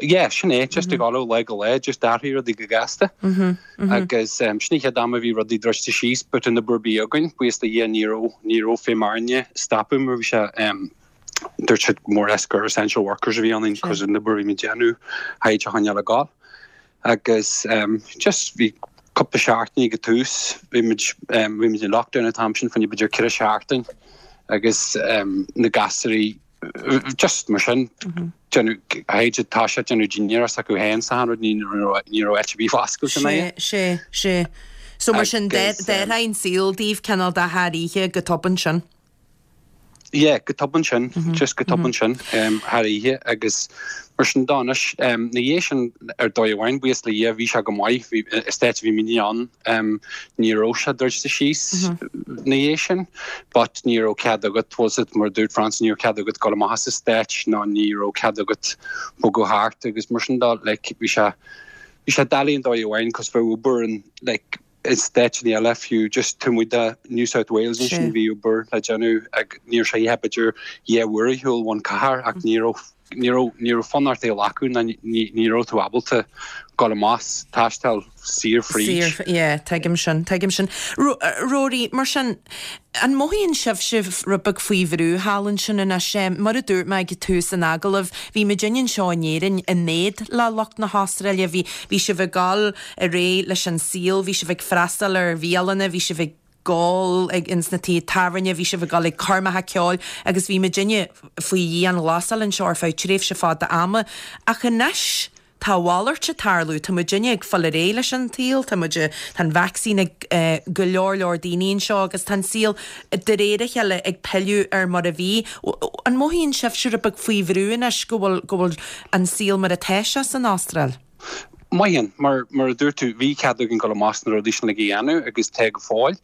Yeah, sin é, just ag dul ó lá go lá, just d'athraigh rudaí go gasta. Agus sin an chéad am a bhí rudaí druidte síos, but an obair a bhí againn, buíochas do Dhia ní raibh, ní raibh feidhm orainne stopadh mar bhí sé, dúirt siad more or less gur essential workers a bhí ionainn because an obair a bhí muid ag déanamh, chaithfeadh a choinneáil ag gabháil. Agus just bhí cúpla seachtain ag an tús, bhí muid, bhí muid in lockdown an t-am sin, fá choinne b'fhéidir ceithre seachtain agus na gasúraí, just mar sin, déanamh, chaithfeadh siad toiseacht déanamh dinnéar s'acu féin 's achan rud, ní raibh, ní raibh áit ar bith foscailte ina Sé, sé, sé. So mar sin, d'athraigh an saol daoibh cineál de thar oíche go tobann sin. Yeah, go tobann sin, just go tobann sin, thar oíche agus mar sin de anois, ina dhiaidh sin ar dóigh amháin, buíochas le Dhia, bhí sé go maith, bhí, an stáit a bhí muidne ann, ní raibh sé druidte síos ina dhiaidh sin, but ní raibh cead agat, bhfuil fhios agat, mar a dúirt Frances, ní raibh cead agat dul amach as an stáit ná ní raibh cead agat bogadh thart agus mar sin de, like, bhí sé, bhí sé doiligh ar dóigh amháin cos bheadh obair in, like, i stáiteanna eile fiú just taobh amuigh de New South Wales ansin bhí obair le déanamh ag ní raibh sé a dhath b'fhéidir dhá uair ar shiúl ón cathair ach ní raibh ní raibh ní raibh fonn ort é a ghlacadh ná ní ní raibh tú ábalta dul amach taisteal saor fríd. Saor, yeah, tuigim sin, tuigim sin. Rory, mar sin, an mothaíonn sibhse rud beag faoi bhrú thall ansin anois? Mar a dúirt mé ag tús an agallaimh, bhí muidinne anseo in Éirinn in éad le lucht na hAstráile, bhí bhí sibh ag dul ar aghaidh leis an saol, bhí sibh ag freastal ar bhialanna, bhí sibh ag gabháil ag ins na tithe tábhairne, bhí sibh ag dul ag coirmeacha ceoil agus bhí muidinne faoi dhianghlasáil anseo ar feadh tréimhse fada ama. Ach anois tá a mhalairt ag tarlú, tá muidinne ag fáil ar aghaidh leis an tsaol, tá muid, tá an vacsaín ag go leor leor daoine anseo agus tá an saol de réir a chéile ag pilleadh ar mar a bhí. An mothaíonn sibhse rud beag faoi bhrú anois go bhfuil, go bhfuil an saol mar atá sé san Astráil? Mothaíonn, mar, mar a dúirt tú, bhí cead againn dul amach 's na rudaí sin uilig a dhéanamh agus tá go fóill,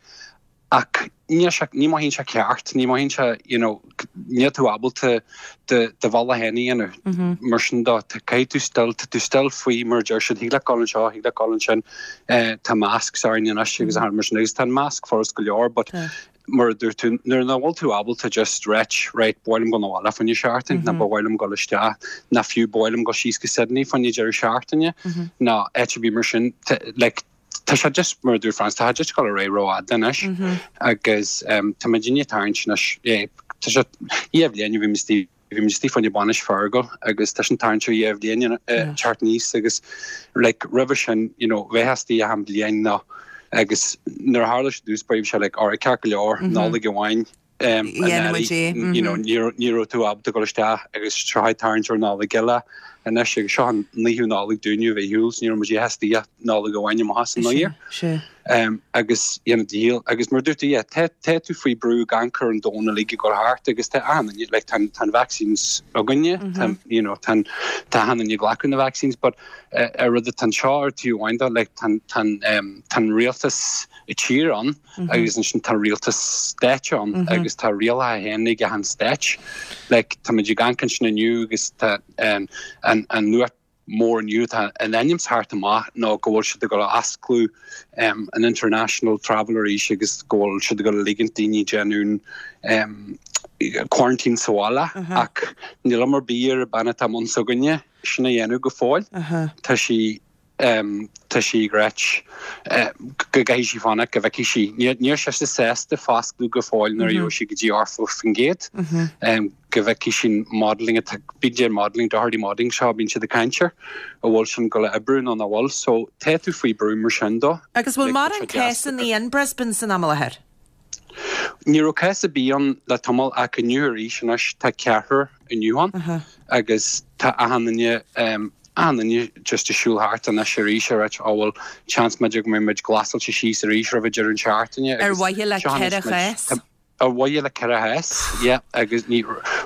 ach níl sé, ní mothaíonn sé ceart, ní mothaíonn sé, you know, níl tú ábalta do, do bhealach féin a dhéanamh. Mar sin de, tá, caithfidh tú still, tá tú still faoi, mar a deir siad, thig leat dul anseo, thig leat dul ansin, eh, tá masks orainn anois agus mar sin, agus tá an mask furast go leor, but mar a dúirt tú, nuair nach bhfuil tú ábalta just ráit, right, ba mhaith liom dul abhaile fá choinne seachtain, nó ba mhaith liom dul isteach, nó fiú ba mhaith liom dul síos go Sydney fá choinne deireadh seachtaine, nó áit ar bith mar sin, like, tá sé just, mar a dúirt Frances, tá sé just ag dul ar aghaidh rófhada anois agus tá muidinne ag tarraingt anois, yeah, tá sé, dhá bhliain a bhí muid istigh, Bhí muid istigh fá choinne bainis Fergal agus tá sin tarraingt ar dhá bhliain teacht aníos agus like roimhe sin you know bheifeá istigh achan bliain nó agus nuair a tharla sé i dtús báire bhí sé like alright ceart go leor Nollaig amháin um, you know ní raibh tú ábalta dul isteach agus seo ag tarraingt ar Nollaig eile anois agus seo an naoú Nollaig dúinne a bheith ar shiúl, so ní raibh muid istigh ach Nollaig amháin amach as an New Year. Um, agus you know, díol agus mar dúirt tú yeah, tá tá tú faoi brú gan cur an domhan uilig ag dul thart agus tá an like, tá tá vaccines againne mm -hmm. you know, tá tá achan duine ag glacadh na vaccines but uh, ar rud tan seo ar tú amháin like, tá tá um, tá rialtas i tír ann mm -hmm. agus ansin tá rialtas stáit ann mm -hmm. agus tá rialacha féin ag an stáit like, tá muid ag amharc sin inniu agus tá um, an, an nuacht mór inniu tá in ainm is thart amach ná go bhfuil siad ag dul a osclú um, an international travel arís agus go bhfuil siad ag dul a ligint daoine déanamh um, quarantine sa bhaile uh -huh. ach níl am ar bith ar bean atá i mbun s'againne sin a dhéanamh go fóill uh -huh. tá sí um, tá sí ag ráit uh, go gcaithfidh sí fanacht go bhfeicfidh sí. Níl sí sásta fosclú go fóill nuair mm -hmm. sí go dtí ochtó faoin gcéad mm -hmm. um, go bhfeicfidh sí modeling bíd modeling Doherty modeling seo bíonn siad ag caint air a bhfuil sin ag dul a oibriú nó nach bhfuil, so tá tú faoi brú mar sin dó. Agus bhfuil mórán cásanna in Brisbane san am i láthair? Ní raibh cás ar bith ann le tamall ach inniu arís anois tá ceathrar inniu ann uh -huh. agus tá achan duine um, achan duine just ag siúl thart anois arís ar á bhfuil chance b'fhéidir go mbeidh muid glasáilte síos arís roimh deireadh an seachtaine. Ar mhaithe le ceithre chás? Ar mhaithe le ceithre chás, yeah, agus ní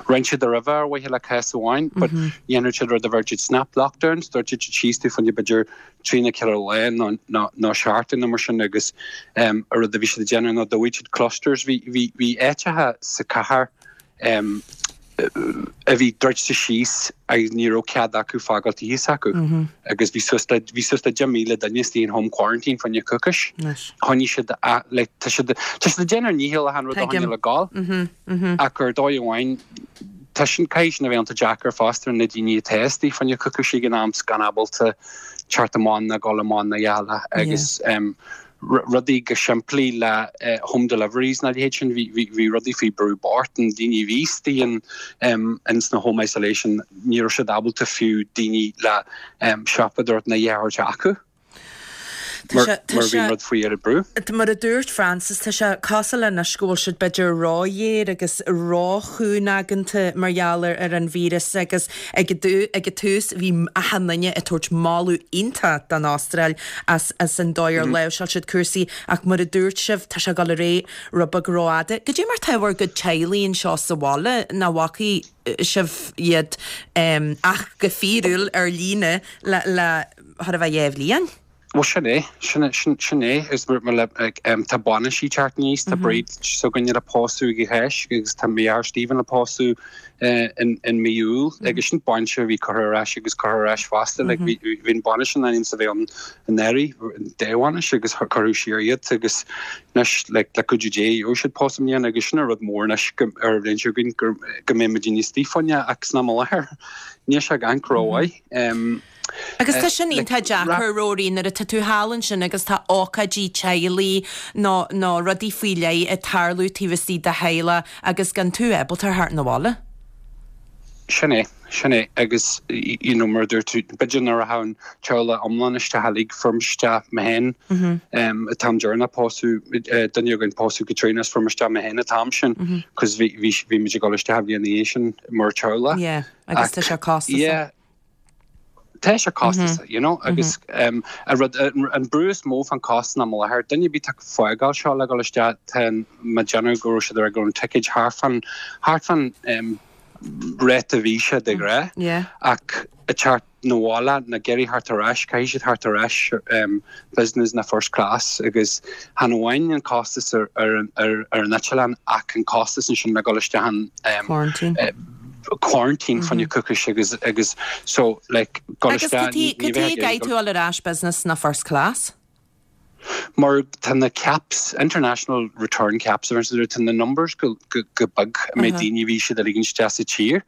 rinne siad roimhe ar mhaithe le cás amháin, but dhéanadh siad rud a bheir siad snap lockdowns, dúirt siad síos tú fá choinne b'fhéidir trí nó ceithre lá nó nó nó seachtain nó mar sin agus um, a rud a bhí siad ag déanamh ná dóigh siad clusters bhí bhí bhí áiteacha sa cathair um, a bhí druidte síos agus ní raibh cead acu fágáil tithe s'acu mm -hmm. agus bhí suas le bhí suas le deich míle duine istigh in home quarantine fá choinne coicís. Choinnigh siad like tá siad tá siad ag déanamh a ndícheall achan rud a choinneáil ag gabháil ach ar dóigh amháin tá sin caithfidh sin a bheith an-deacair fosta ar na daoine atá istigh fá choinne coicís ag an am gan ábalta teacht amach ná gabháil amach ná eile agus um, rudaí go simplí le uh, home deliveries na leithéid sin bhí rudaí faoi brú bocht an daoine bhí istigh in um, in sna home isolation ní raibh siad ábalta fiú daoine le um, siopadóireacht na dheartháir acu. Mar bhí rud faoi ar brú. Mar a dúirt Francis tá sé cosúil anois go bhfuil siad b'fhéidir róghéar agus róchúngaigeanta mar gheall ar an víreas agus ag ag an tús bhí achan duine ag tabhairt moladh iontach don Astráil as as an dóigh ar láimhseáil siad cúrsaí ach mar a dúirt sibh tá sé ag dul ar aghaidh rud beag rófhada. Goidé mar tá bhur gcuid teaghlaigh anseo sa bhaile nach bhfacaidh sibh iad um, ach go fíorúil ar líne le le thar a bheith dhá bhliain? Well sin é sin sin sin é is mar le um, tá bainisí teacht aníos tá Bríd s'againne le pósadh go héis agus tá mé Stephen le pósadh uh, in in mí Iúil agus sin bainise a bhí curtha ar ais agus curtha ar ais fosta like bhí bhí bainis in ainm is a bheith ann anuraidh dá bhainis agus cuireadh siar iad agus anois like le cuidiú Dé ó siad pósadh i mbliana agus sin rud mór anois go ar bhliain seo againn go go mbeidh muid níos fáinne ach san am i láthair níl sé gan rómhaith. Um, Agus tá sin iontach deacair Rory nuair atá tú thall ansin agus tá ócáidí teaghlaigh nó nó rudaí faoi leith ag tarlú taobh istigh de theaghlach agus gan tú ábalta theacht 'na bhaile. Sin é sin é agus you know mar dúirt tú b'fhéidir nuair a thagann teaghlach iomlán isteach uilig fuair mise isteach mé féin um, an t-am deireanach pósadh duine againn pósadh Caitríona is fuair mise isteach mé féin an t-am sin cos bhí bhí bhí muid ag dul isteach bhliain ina dhiaidh sin mar teaghlach. Yeah, agus tá sé costasach. Yeah, Tá sé costasach, you know, agus um, a rud an brú is mó fan costas na láthair duine ar bith ag fágáil seo le dul isteach tá má déanamh go raibh siad ar go an ticket thart fan thart fan um, ráta visa de ghnáth Yeah. ach a teacht 'na bhaile na géirí thart ar ais caithfidh siad theacht ar ais um, business na first class agus chan amháin an costas ar ar ar ar an eitleán ach an costas ansin le dul isteach an um, Quarantine. uh, quarantine fá choinne coicís agus agus so like dul Agus isteach ní- ní cad bheith é ag tú ar ais business na first class? Mar tá na caps international return caps ar tá na numbers go go go beag mé daoine bhí siad a ligean isteach sa tír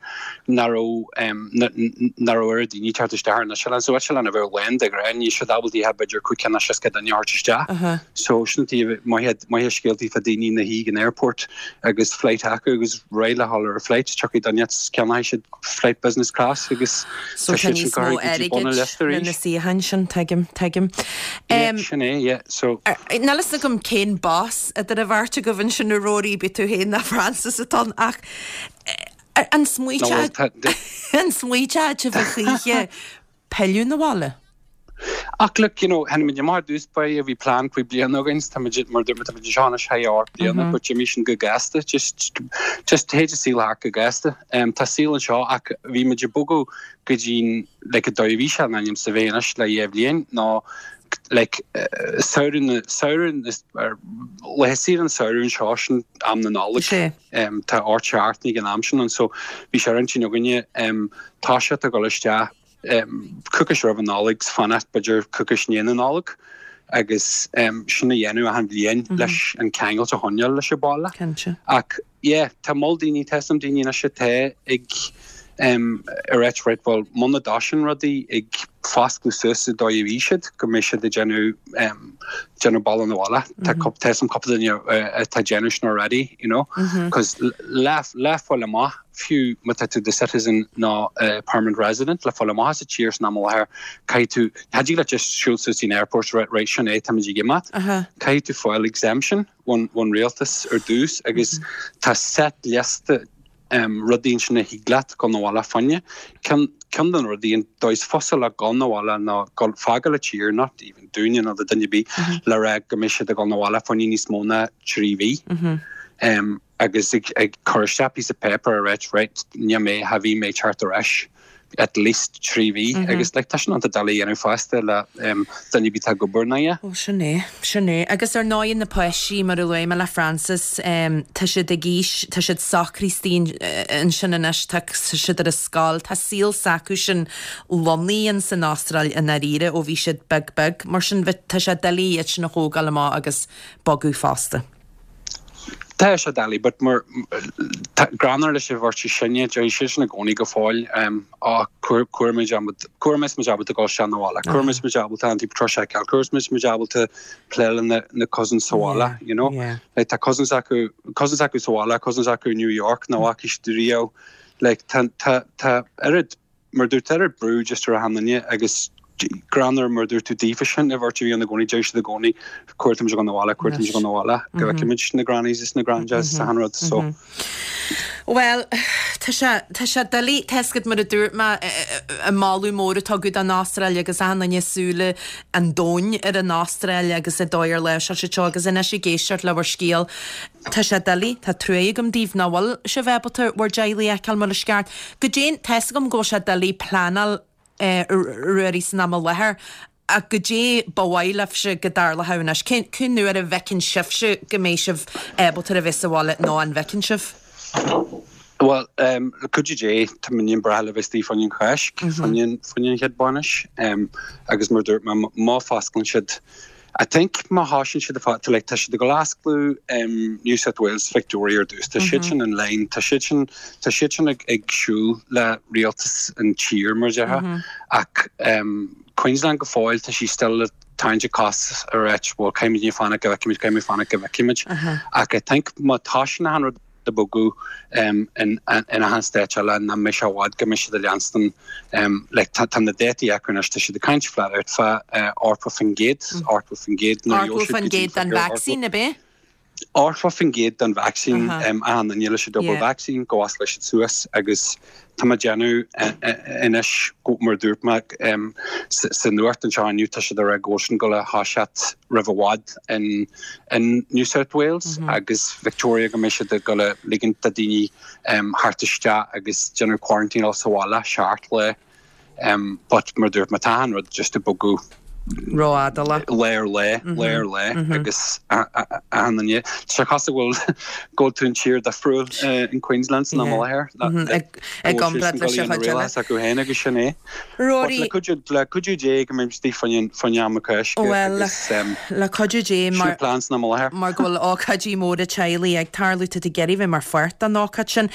nach raibh um, nach raibh ar daoine teacht isteach ar na se so eitleán a bheith lán de ghnáth ní siad ábalta b'fhéidir cúig cinn seasca duine a thabhairt isteach. So sin maith scéaltaí fa daoine na hí an airport agus flight acu agus réidh le dhul ar a flight tiocfaidh duine ceannóidh siad flight business class agus So tá níos mó airgid na suíocháin sin tuigim tuigim. Um, sin é yeah so Níl a fhios agam cén boss idir an bheirt agaibh ansin a Rory b'é tú féin ná Francis atá ach an smaointe An smaointeodh sibh a choíche pilleadh 'na bhaile? Ach look, you know, tháinig muid amach ar dtús báire, bhí plean cúig bliana againn, tá muid mar dúirt tá muid anseo anois thar ocht bliana, but d'imigh sin go gasta, just just théid an saol thart go gasta. Um, tá saol anseo ach bhí muid ag bogadh go dtí like an dóigh a bhí sé in ainm is a bheith anois le dhá bhliain ná like uh, samhradh na samhradh is ar laethe saoire an samhradh anseo sin am na Nollag. Sé. Um, tá ort seacht ag an am sin an so bhí sé ar intinn againne um, tá sé ag dul isteach um, coicís roimh an Nollaig fanacht b'fhéidir coicís i ndiaidh na Nollag agus um, sin a dhéanamh achan bhliain mm -hmm. leis an ceangal a choinneáil leis an baile. Cinnte. Ach yeah, tá moll daoine tá some daoine anois atá ag um, ag ráit right well muna dtosaíonn rudaí ag foscladh suas an dóigh a bhí siad go mbeidh siad ag déanamh um, déanamh bealach 'na bhaile. Tá mm -hmm. tá some cúpla duine uh, atá déanamh sin already, you know, cos mm -hmm. le le fáil amach fiú má tá tú do citizen nó uh, permanent resident le fáil amach sa tír san am i láthair caithfidh tú cha dtig leat just siúl suas in airport right right sin é tá muid ag imeacht Uh -huh. caithfidh tú fáil exemption ón ón rialtas ar dtús agus mm -hmm. tá set liosta um, rudaí sin a thig leat dul 'na bhaile fá choinne ceann ceann den rudaí an dóigh is fusa le dul 'na bhaile ná dul fágáil an tír not even dúinne nó do duine ar bith mm -hmm. le rá go mbeidh siad ag dul 'na bhaile fá choinne níos mó ná trí mhí. Mm -hmm. um, agus ag, ag cur isteach piece of paper a ráit right ní mé ha bhí mé teacht ar ais at least trí mhí mm -hmm. agus like, tá sin an doiligh a dhéanamh fosta le um, duine ar bith atá ag obair ná é. Ó sin é sin é agus ar ndóigh na páistí mar a luaigh mé le Francis um, tá siad ag aois tá siad socraithe ansin anois tá siad ar a scoil tá saol s'acu sin lonnaithe san Astráil i ndáiríre ó bhí siad beag beag mar sin tá sé doiligh iad sin a thógáil amach agus bogadh fosta. Tá sé doiligh, but mar greannmhar leis an bheirt sinne deir sé sin i gcónaí go fóill um, á chuir muid muid ábalta dul isteach 'na bhaile, Chuir muid ábalta Auntie Patricia Cal, chuir muid ábalta plé na, na cousins sa bhaile, you know? Yeah. Like, tá cousins acu cousins acu sa bhaile, cousins acu New York nach bhfaca siad riamh like, tá tá tá oiread mar dúirt oiread brú just ar achan duine agus greannmhar mar dúirt tú daofa sin a bheirt a bhí ina gcónaí deir siad i gcónaí chuir muid dul 'na bhaile chuir muid dul 'na bhaile go bhfeicfimid na grannies is na granddads achan rud so. Well, tá sé tá sé doiligh tuiscint mar a dúirt mé an moladh mór atá agat don Astráil agus achan duine súile an domhain ar an Astráil agus an dóigh ar leis sé seo agus anois ag éisteacht le bhur scéal. Tá sé doiligh tá trua agam daoibh nach bhfuil sibh ábalta bhur dteaghlaigh a fheiceáil mar is ceart. Go dtéann tá a fhios agam go bhfuil sé doiligh pleanáil ruairí san am i láthair ach goidé ba mhaith libhse go dtarlódh anois. Cén cén uair a bhfeiceann sibhse go mbeidh sibh ábalta a bheith sa bhaile nó an bhfeiceann sibh? Well, um, le cuidiú Dé tá muid breá le bheith istigh fá choinne an Cháisc fá choinne fá choinne an chéad bainis um, agus mar dúirt mé má fosclaíonn siad I think má thosaíonn siad fá like, tá siad ag osclú um, New South Wales Victoria ar dtús Tá siad sin in line tá siad sin tá siad sin ag, ag siúl le rialtas an tír mar deha mm -hmm. ach um, Queensland go fóill tá sí still le tarraingt cos ar ráit well caithfimid fanacht go bhfeicfimid caithfimid fanacht go bhfeicfimid uh -huh. ach I think má tá sin achan rud ag bogadh um, in, in, in achan state eile na mbeidh sé i bhfad go mbeidh siad ag leanstan um, like, tá, tá na dátaí acu anois tá siad ag caint flat out fá uh, ochtó faoin gcéad ochtó faoin gcéad Ochtó faoin gcéad den vaccine ab ea? Ochtó faoin gcéad den vaccine uh -huh. um, an an níle sé double yeah. vaccine go as leis suas agus tá má déanú anois go mar dúirt mé um, sa nuacht anseo inniu tá siad ar go sin go le thoiseacht roimh i bhfad in, in New South Wales mm -hmm. agus Victoria go mbeidh siad go le ligint do daoine um, theacht isteach agus déanamh quarantine sa bhaile seacht lá um, but mar dúirt mé tá achan rud just ag bogadh Rófhada. lá ar lá lá ar lá agus an se chas bhfuil go tú tír difriúil in Queensland san am i láthair ag gombrad le se acu féin agus sin é. Rory le cuidiú Dé go mbeidh istigh fá choinne am Cáisc Well le cuidiú Dé mar plan san am i láthair. Mar go bhfuil ócáidí móra teaghlaigh ag tarlú tú ag iarraidh bheith mar pháirt den ócáid sin.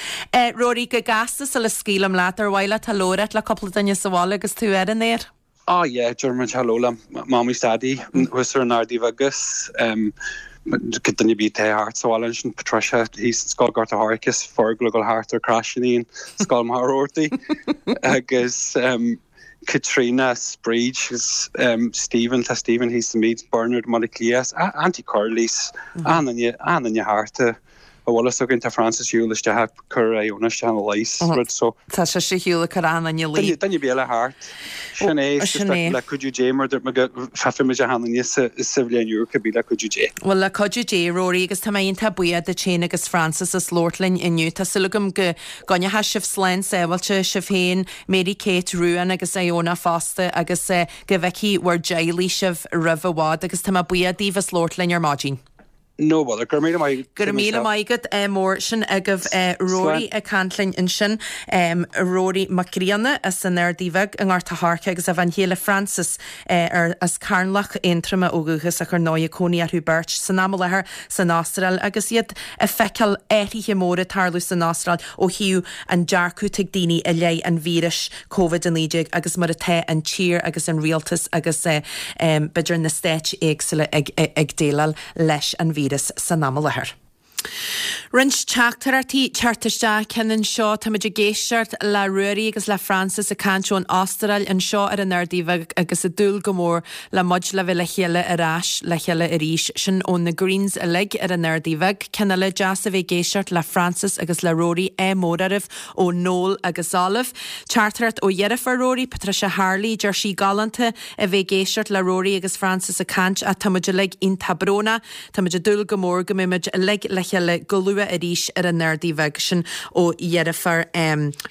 Rory go gasta sa le scaoilim leat ar mhaith leat hello a rá le cúpla duine sa bhaile agus tú ar an aer. Ah yeah, déarfaidh mé hello le Mamaí 's Daidí thuas ar an Ardaí agus um, duine ar bith atá thart sa bhaile sin Patricia thíos Scoil Gort an Choirce Fergal go thart ar crasín Scoil Maortaí agus um, Katrina Bríd um, Stephen tá Stephen thíos sa Meads Bernard Molly Clias Auntie Curly's an an thart a bhfuil fhios againn tá Frances shiúl isteach ag cur Iona isteach ina luí rud so. Tá sé sa shiúl ag cur Anna ina luí. Duine ar bith eile thart. Sin é, Sin é. le cuidiú Dé mar dúirt mé go feicfidh muid achan duine sa sa bhliain úr cibé le cuidiú Dé. Bhuel le cuidiú Dé, Rory, agus tá mé iontach buíoch duit féin agus Frances as labhairt linn inniu. Tá súil agam go gcoinneoidh sibh slán sábháilte, sibh féin, Mary Kate, Ruan agus Iona fosta agus go bhfeicfidh bhur dteaghlaigh sibh roimh i bhfad agus tá mé buíoch daoibh as labhairt linn ar maidin. No bother. Go raibh míle maith agat. Go raibh míle maith agat mór. Sin agaibh Rory ag caint linn ansin, Rory Mac Grianna as an Ardaidh Bheag i nGort a' Choirce agus a bhean chéile Frances ar as Carnlach, Aontroma ó dhúchas ach ar ndóigh cónaí orthu beirt san am i láthair san Astráil agus iad ag feiceáil athruithe móra ag tarlú san Astráil ó thaobh an dearcadh atá ag daoine i leith an víris Covid a naoi déag agus mar atá an tír agus an rialtas agus b'fhéidir na stáit éagsúla ag ag déileáil leis an víreas san am i láthair. Roinnt teachtaireachtaí teacht isteach ceann anseo. Táimid ag éisteacht le Ruairí agus le Frances ag caint ón Astráil anseo ar an Ardaidh Bheag agus ag dúil go mór le muid le bheith le chéile ar ais le chéile arís. Sin ó na Greens uilig ar an Ardaidh Bheag. Ceann eile deas a bheith ag éisteacht le Frances agus le Rory ádh mór oraibh ó Noel agus Olive. Teachtaireacht ó dheirfiúr Rory, Patricia Harley, deir sí galánta a bheith ag éisteacht le Rory agus Frances ag caint ach táimid uilig iontach brónach. Táimid ag dúil go mór go mbeimid uilig le chéile go luath arís ar an Ardaidh Bheag sin ó dheirfiúr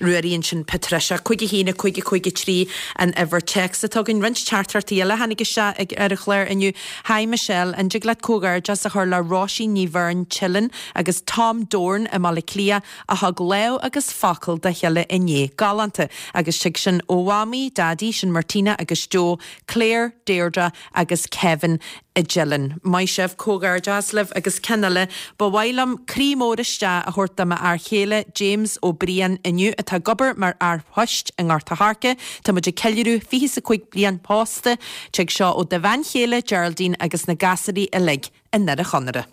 Ruairí ansin Patricia. Cúig a haon a cúig a cúig a trí an uimhir téacs atá againn. Roinnt teachtaireachtaí eile tháinig isteach ag ar an chlár inniu. Hi Michelle, an dtig leat comhghairdeas a chur le Róisín Ní Bheirn Teileann agus Tom Dorn i mBaile Átha Cliath a thug lámh agus focal dá chéile inné. Galánta agus tig sin ó Mhamaí, Daidí, sin Martina agus Joe, Claire, Deirdre agus Kevin i dTeileann. Maith sibh, comhghairdeas libh agus ceann eile, ba mhaith liom croí mór isteach a thabhairt do m'fhear chéile James Ó Briain inniu atá ag obair mar fhear poist i nGort a' Choirce. Tá muid ag ceiliúradh fiche is a cúig bliain pósta. Tig seo ó do bhean chéile Geraldine agus na gasúirí uilig i nDoire Chonaire.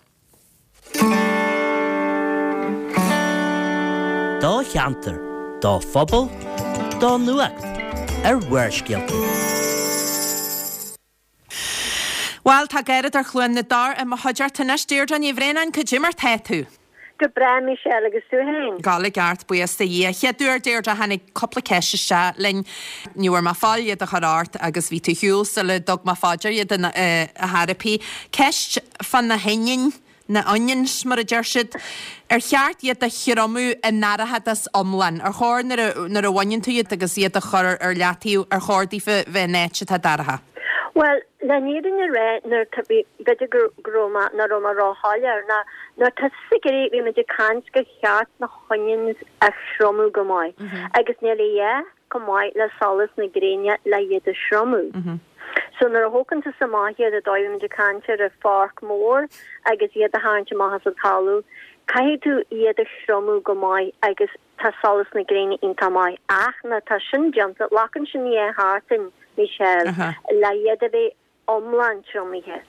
Do cheantar, do phobal, do nuacht ar Bharrscéalta. Bhuel, tá Gearóid ar Chluain na dTor i mo chuideachta anois. Deirdre Ní Bhraonáin, cad é mar tá tú? Go breá Michelle agus tú féin? Go hálainn ceart, buíochas do Dhia. Chéad uair Deirdre tháinig cúpla ceist isteach linn. Ní bhfuair mé fáil iad a chur ort agus bhí tú ar shiúl sula dtug mé fá dear iad a therapy. Ceist fá na hoinniúin, na onions mar a deir siad, ar cheart iad a thriomú i ndorchadas iomlán? Ar chóir nuair a nuair a bhaineann tú iad agus iad a chur ar leataobh, ar chóir daofa bheith in áit atá dorcha? Bhuel, le fírinne a rá, nuair tá, bhí, b'fhéidir go, go raibh mé, nach raibh mé róshoiléir, ná nuair tá tusa ag iarraidh, bhí muid ag caint gur cheart na honions a thriomú go maith agus níl a dhath chomh maith le solas na gréine le iad a thriomú. So nuair a thógann tusa amach iad, ar dóigh, bhí muid ag caint ar an pháirc mhór agus iad a tharraingt amach as an talamh, caithfidh tú iad a thriomú go maith agus tá solas na gréine iontach maith ach nuair atá sin déanta, glacann sin dhá sheachtain, Michelle, le iad a bheith iomlán triomaithe.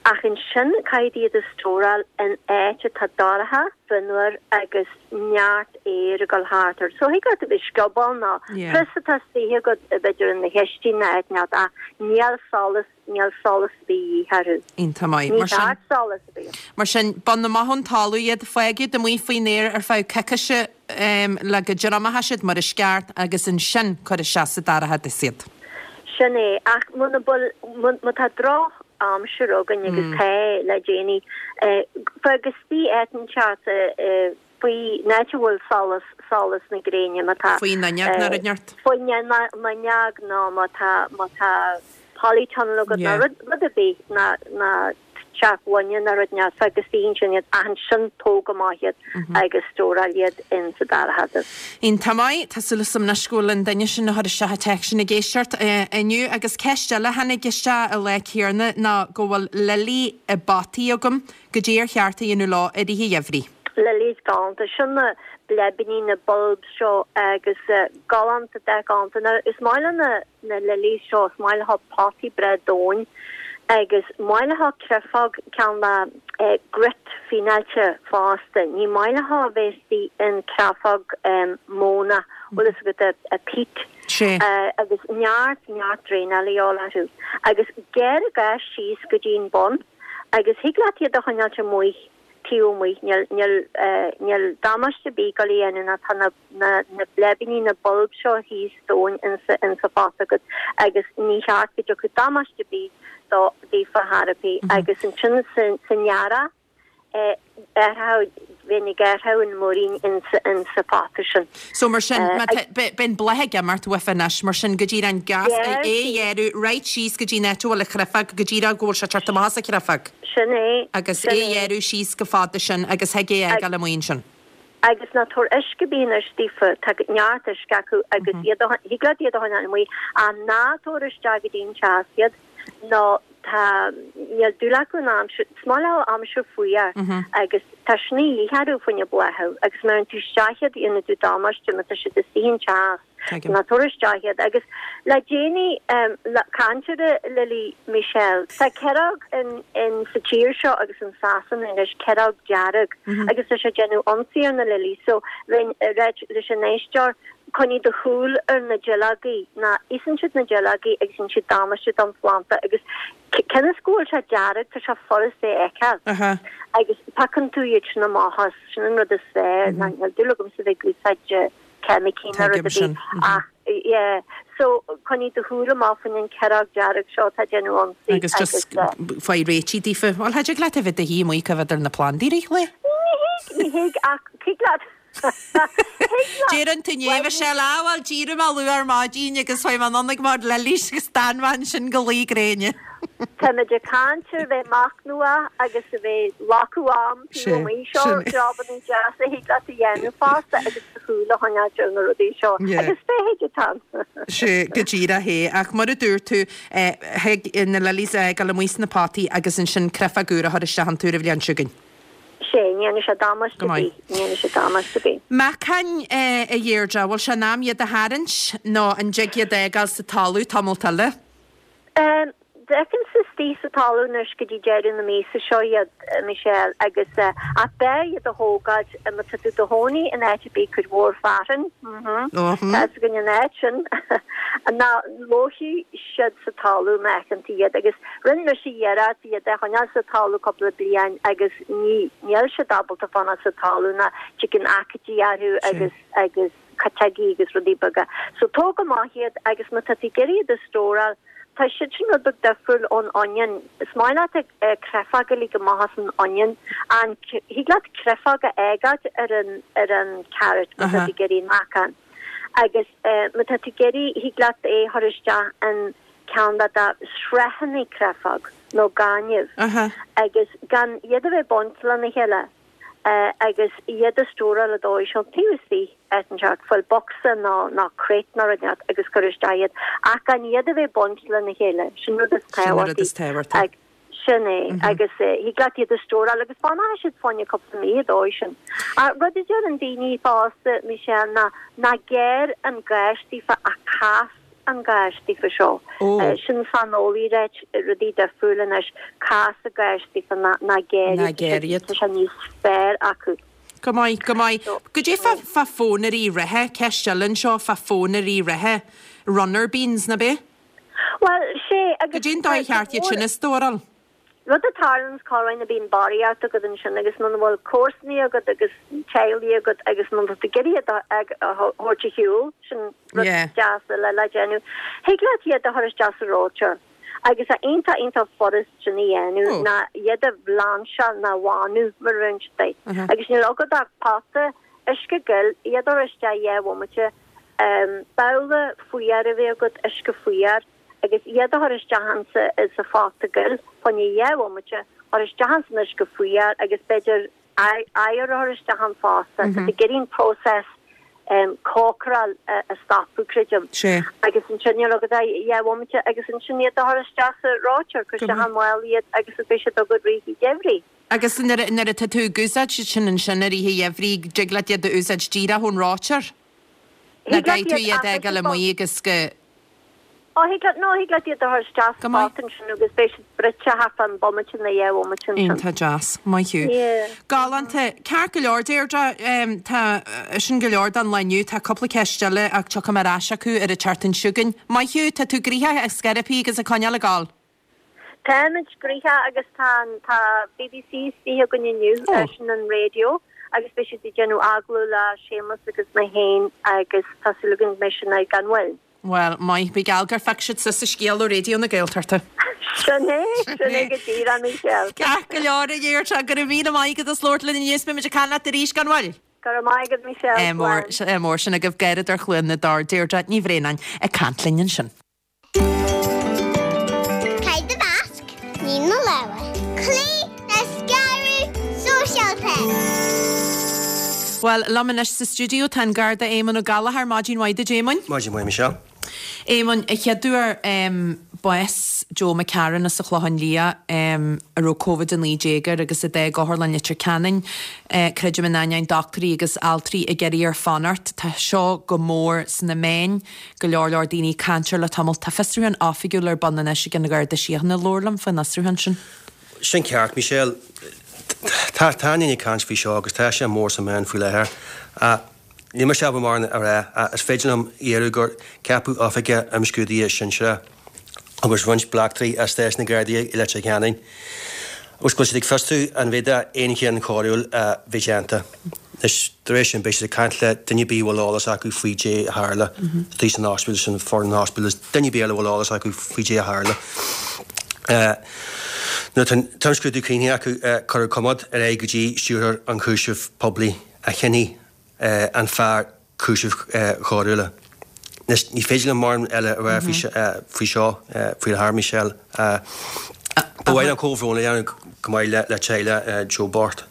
Ach ansin caithfidh tú iad a stóráil in áit atá dorcha, fionnuar agus neart aeir ag dul thart air. So thig leat a bheith scioból nó prios atá istigh agat b'fhéidir in do chistin nó áit inteacht ach níl solas, níl solas ar bith de dhíth orthu. Iontach maith. Ní Mar sin, ceart solas a bheith. mar sin, bain amach ón talamh iad, fág iad amuigh faoin aer ar feadh coicíse le go dtriomaíonn siad mar is ceart agus ansin cuir isteach sa dorchadas iad. Sin é, ach muna bhfuil, má tá droch aimsir againn agus tá le déanaí, fág istigh áit inteacht faoi in áit a bhfuil solas, solas na gréine, má tá. Faoin fhuinneog nó rud inteacht. Faoin bhfuinneog nó má tá, má tá polytunnel agat nó rud, rud ar bith ná, ná teach gloine nó rud inteacht, fág istigh ansin iad ach ansin tóg amach iad agus stóráil iad in sa dorchadas. Iontach maith, tá súil agam anois go bhfuil an duine sin a chuir isteach an téacs sin ag éisteacht inniu agus ceist eile a tháinig isteach an lá céanna ná go bhfuil lilí i bpotaí agam, goidé ar cheart a dhéanamh leo i rith an gheimhridh. Lilies galánta, sin na bleibíní, na bulbs seo agus galánta, dath galánta. Now is maith le na na lilies seo, is maith leo potaí breá domhain agus maith leo creafóg ceann le grit fíneáilte fosta. Ní maith leo a bheith istigh in creafóg móna, bhfuil fhios agat, a peat. Sea. Agus neart, neart draenáil a dhíobháil orthu. Agus gearr an ghas síos go dtí an bun agus thig leat iad a choinneáilt amuigh taobh amuigh, níl, níl, níl damáiste ar bith ag dul a dhéanamh ná tá na, na, na bleibíní, na bulbs seo thíos domhain insa, insa phota agat agus ní cheart go dtiocfadh damáiste ar bith dó, daofa thar ar bith agus ansin sa, san earrach, eh, bheinn ag athrú an muirín insa, insa phota sin. So mar sin, má tá, beidh an bláth ag imeacht uafa anois, mar sin go díreach an gas, é a ghearradh right síos go dtí an áit a bhfuil an chreafóg, go díreach go bhfuil sé ag teacht amach as an chreafóg. Sin é. Agus é a ghearradh síos go fada sin agus thig é a fhágáil amuigh ansin. Agus ná tabhair uisce ar bith anois daofa, tá neart uisce acu agus iad a, thig leat iad a choinneáil amuigh, ach ná tabhair isteach go dtí an teas iad, nó tá, níl dúil acu in aimsir, is maith leo aimsir fuar agus tá sin a dhíth orthu fá choinne bláthú agus má chuireann tú isteach iad dhéanfaidh tú damáiste má tá siad istigh an teas. Tuigim. Ná tabhair isteach iad agus le déanaí le caint ar na lilí Michelle tá ceireog in in sa tír seo agus in Sasana anois ceireog dearg agus tá sé ag déanamh ionsaí ar na lilí so bheinn ag ráit leis an éisteoir coinnigh do shúil ar na duilleogaí ná íosann siad na duilleogaí agus déanann siad damáiste don phlanda agus cionn is go bhfuil sé dearg tá sé furast é a fheiceáil agus piocann tú iad sin amach as sin an rud is fearr ná níl dúil agamsa bheith ag úsáid ceimicí ná rud ar bith ach yeah so coinnigh do shúil amach faoin an ceireog dearg seo atá ag déanamh ionsaí agus just faigh réitigh daofa. Bhuel, cha dtig leat a bheith i do shuí amuigh ag coimhéad ar na plandaí i rith an lae? Ní thig, ní thig ach thig leat Deireann tú inné, bhí sé lá, bhuel, d'éirigh mé luath ar maidin agus chuaigh mé anonn ag bord lilies agus d'fhan mé ansin go luí gréine. Táimid ag caint ar bheith machnamhach agus a bheith locadh am taobh amuigh seo, jobanna deasa a thig leat a dhéanamh fosta agus do shúil a choinneáilt ar na rudaí seo agus feithid atá ann. Sea, go díreach é. Ach mar a dúirt tú, thig na lilies a fhágáil amuigh sna potaí agus ansin créafóg úr a chur isteach iontu ar an bhliain seo chugainn. Sea, ní dhéanfaidh sé damáiste Go ar maith. bith, ní dhéanfaidh sé damáiste ar bith. Meacain, a Dheirdre, bhfuil sé in am iad a tharraingt nó an dtig iad a fhágáil sa talamh tamalt eile? D'fheicimse istigh sa talamh anois go dtí deireadh na míosa seo iad, Michelle, agus ach b'fhearr iad a thógáilt má tá tú i do chónaí in áit ar bith cuid mhór fearthainn, tá fhios againn an áit sin, ná lófaidh siad sa talamh má fheiceann tú iad agus rinne mise iarracht iad a choinneáil sa talamh cúpla bliain agus ní níl siad ábalta fanacht sa talamh ná tigeann aicídí orthu agus agus cuiteogaí agus rudaí beaga. So tóg amach iad agus má tá tú ag iarraidh iad a stóráil, tá siad sin rud beag difriúil ón onion. Is maith leat créafóg a lig amach as an onion an thig leat créafóg a fhágáilt ar an ar an carrot má tá tú ag iarraidh meacan. Agus má tá tú ag iarraidh thig leat é a chur isteach in ceann de do sraitheanna créafóg nó gaineamh agus gan iad a bheith bainte lena chéile agus iad a stóráil an dóigh seo taobh istigh áit inteacht, fuil bocsa nó nó crate nó rud inteacht agus cuir isteach iad ach gan iad a bheith bainte lena chéile, sin rud is tábhachtaí. Sin é, agus thig leat iad a stóráil agus fanfaidh siad fá choinne cúpla mí an dóigh sin. Rud a deireann daoine fosta, Michelle, ná ná gearr an gás daofa ach cas an gás daofa seo. Sin saineolaí ag ráit rudaí difriúla anois, cas an gás daofa ná ná gearr iad, tá sé níos fearr acu. Go maith, go maith. Goidé fá fá phónairí reatha, ceist eile anseo fá phónairí reatha, runner beans, ná b'é? Bhuel, sé, agus. Goidé an dóigh cheart iad sin a stóráil? Rud a tharlaíonns corruair ná bíonn barraíocht agat ansin agus muna bhfuil comharsanaí agat agus teaghlaigh agat agus muna bhfuil tú ag iarraidh iad a thabhairt ar shiúl, sin rud deas eile le déanamh. Thig leat iad a chur isteach sa reoiteoir agus tá iontach iontach furast sin a dhéanamh ná iad a bhlainseáil ná a bhánú mar a deireann siad. Agus níl agat ach pota uisce gil, iad a chur isteach dhá bhomaite, babhla fuar a bheith agat, uisce fuar, agus iad a chur isteach insa sa phota gil, fá choinne dhá bhomaite, chur isteach ins an uisce fuar agus b'fhéidir oighear a chur isteach ann fosta, tá tú ag iarraidh an process cócaráil a stopadh, creidim. Agus ansin níl agat ach dhá bhomaite agus ansin iad a chur isteach sa reoiteoir, cuir isteach i mála iad agus beidh siad agat rith an gheimhridh. Agus nuair nuair atá tú ag úsáid siad sin ansin i rith an gheimhridh, dtig leat iad a úsáid díreach ón reoiteoir? Nó caithfidh tú iad a fhágáil amuigh agus go. Ó, thig leat, nó thig leat iad a chur isteach sa Go maith. phota ansin agus beidh siad bruite thart fán bomaite nó dhá bhomaite ansin. Iontach deas. Maith thú. Yeah. Galánta. Ceart go leor, Deirdre. Tá sin go leor don lá inniu. Tá cúpla ceist eile ach tiocfaidh mé ar ais acu ar an tseachtain seo chugainn. Maith thú. Tá tú gnoitheach ag scairpí agus ag coinneáil ag gabháil. Táimid gnoitheach agus tá tá BBC istigh againn inniu ar sin an raidió agus beidh siad ag déanamh agallamh le Séamus agus mé féin agus tá súil againn go mbeidh sin gan mhoill. Bhuel, maith, bí geall gur feic siad sa scéal ó Raidió na Gaeltachta. Sin é, sin é go díreach Michelle. Ceart go leor a Dheirdre, go raibh míle maith agat as labhairt linn inniu, beidh muid ag caint leat arís gan mhoill. Go raibh maith agat Michelle. Mór, mór sin agaibh Garradóir Chluain na dTor Deirdre Ní Bhraonáin ag caint linn ansin. Caith do mhasc, nigh do lámha. Cloígh le scaradh sóisialta. Bhuel, liom anois sa stiúideo tá an Garda Éamonn Ó Gallchóir, maidin mhaith duit Éamoinn. Maidin mhaith Michelle. Éamonn, a chéaduair um, bás Joe McCarran as an Chlochán Liath um, a raibh Covid a naoi déag air agus a d'fhág Otharlann Leitir Ceanainn. Uh, creidim in ainneoin dochtúirí agus altraí ag iarraidh air fanacht. Tá seo go mór sna meáin, go leor leor daoine ag caint air le tamall. Tá fiosrúchán oifigiúil ar bun anois ag an Gharda Síochána. Labhair liom faoin fhiosrúchán sin. Sin ceart, Michelle. Tá tá daoine ag caint faoi seo agus tá sé mór sna meáin faoi láthair. Níl mise ábalta mórán a rá ach is féidir liom a dhéanamh gur ceapadh oifigeach imscrúdaithe sinsearach agus roinnt bleachtairí as stáisiún na Gardaí i Leitir Ceanainn agus go bhfuil siad ag fiosrú an bhféadfadh aon chion coiriúil a bheith déanta. Anois, tar éis sin, beidh siad ag caint le duine ar bith a bhfuil eolas acu faoi dé a tharla istigh san ospidéal, sin foireann an ospidéil, duine ar bith eile a bhfuil eolas acu faoi dé a tharla. Nuair atá an t-imscrúdú críochnaithe acu, cuirfear comhad ar aghaidh go dtí Stiúrthóir Ionchúiseamh Poiblí a chinnfidh an fearr cúisimh choiriúla. Anois, ní féidir liom mórán eile a rá faoi seo faoi láthair, Michelle. Ba mhaith liom comhbhrón a dhéanamh go maith le teaghlach Joe bocht.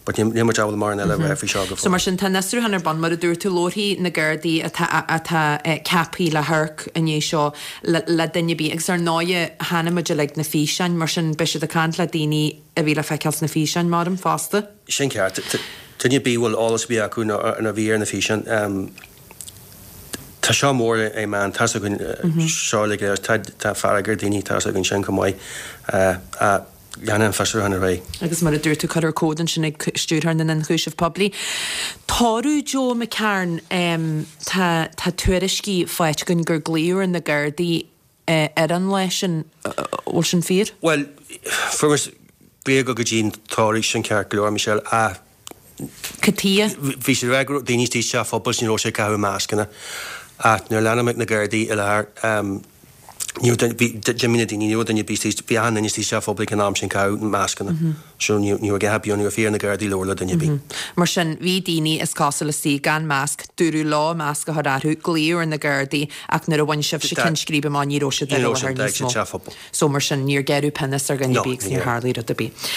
But níl muid ábalta mórán eile a rá faoi seo go So mar fóill. sin, tá an fiosrúchán ar bun, mar a dúirt tú, labharfaidh na Gardaí atá atá ceaptha le hamharc i ndiaidh seo le le duine ar bith agus ar ndóighe chonaic muid uilig na físeáin, mar sin beidh siad ag caint le daoine a bhí le feiceáil sna físeáin, maram, fosta. Sin ceart. Duine ar bith a bhfuil eolas ar bith acu nó a bhí ar na físeáin, tá seo mór i meán, tá's againn seo uilig, tá tá fearg ar daoine, tá's againn sin chomh maith. Leanfaidh an fiosrúchán ar aghaidh. Agus mar a dúirt tú, cuirfear comhad ansin ag Stiúrthóir na nIonchúiseamh Poiblí. Tórramh Joe McCarn, tá tá tuairiscí faighte againn gur glaodh ar na Gardaí ar an lá sin, bhfuil sin fíor? Bhuel, fuair muid glaoch go dtí an tórramh sin ceart go leor, Michelle, ach Cad chuige? bhí sé ag rá go raibh daoine istigh sa teach pobail is ní raibh sé ag caitheamh mascanna. Ach nuair a lean na Gardaí i láthair, ní raibh duine, bhí, d'imigh na daoine, ní raibh duine ar bith istigh, bhí achan duine istigh sa teach pobail ag an am sin ag caitheamh mascanna. So ní, ní raibh a dhath ar bith ann, ní raibh fiú ar na Gardaí labhairt le duine ar bith. Mar sin, bhí daoine, is cosúil, istigh gan masc, dúradh leo masc a chur orthu, glaodh ar na Gardaí ach nuair a bhain sibhse ceann scríbe amach ní raibh siad Ní ar raibh láthair siad, níos sa mó. teach pobail. So mar sin, níor gearradh pionós ar dhuine ar No, bith agus ní níor raibh. tharlaigh rud ar bith.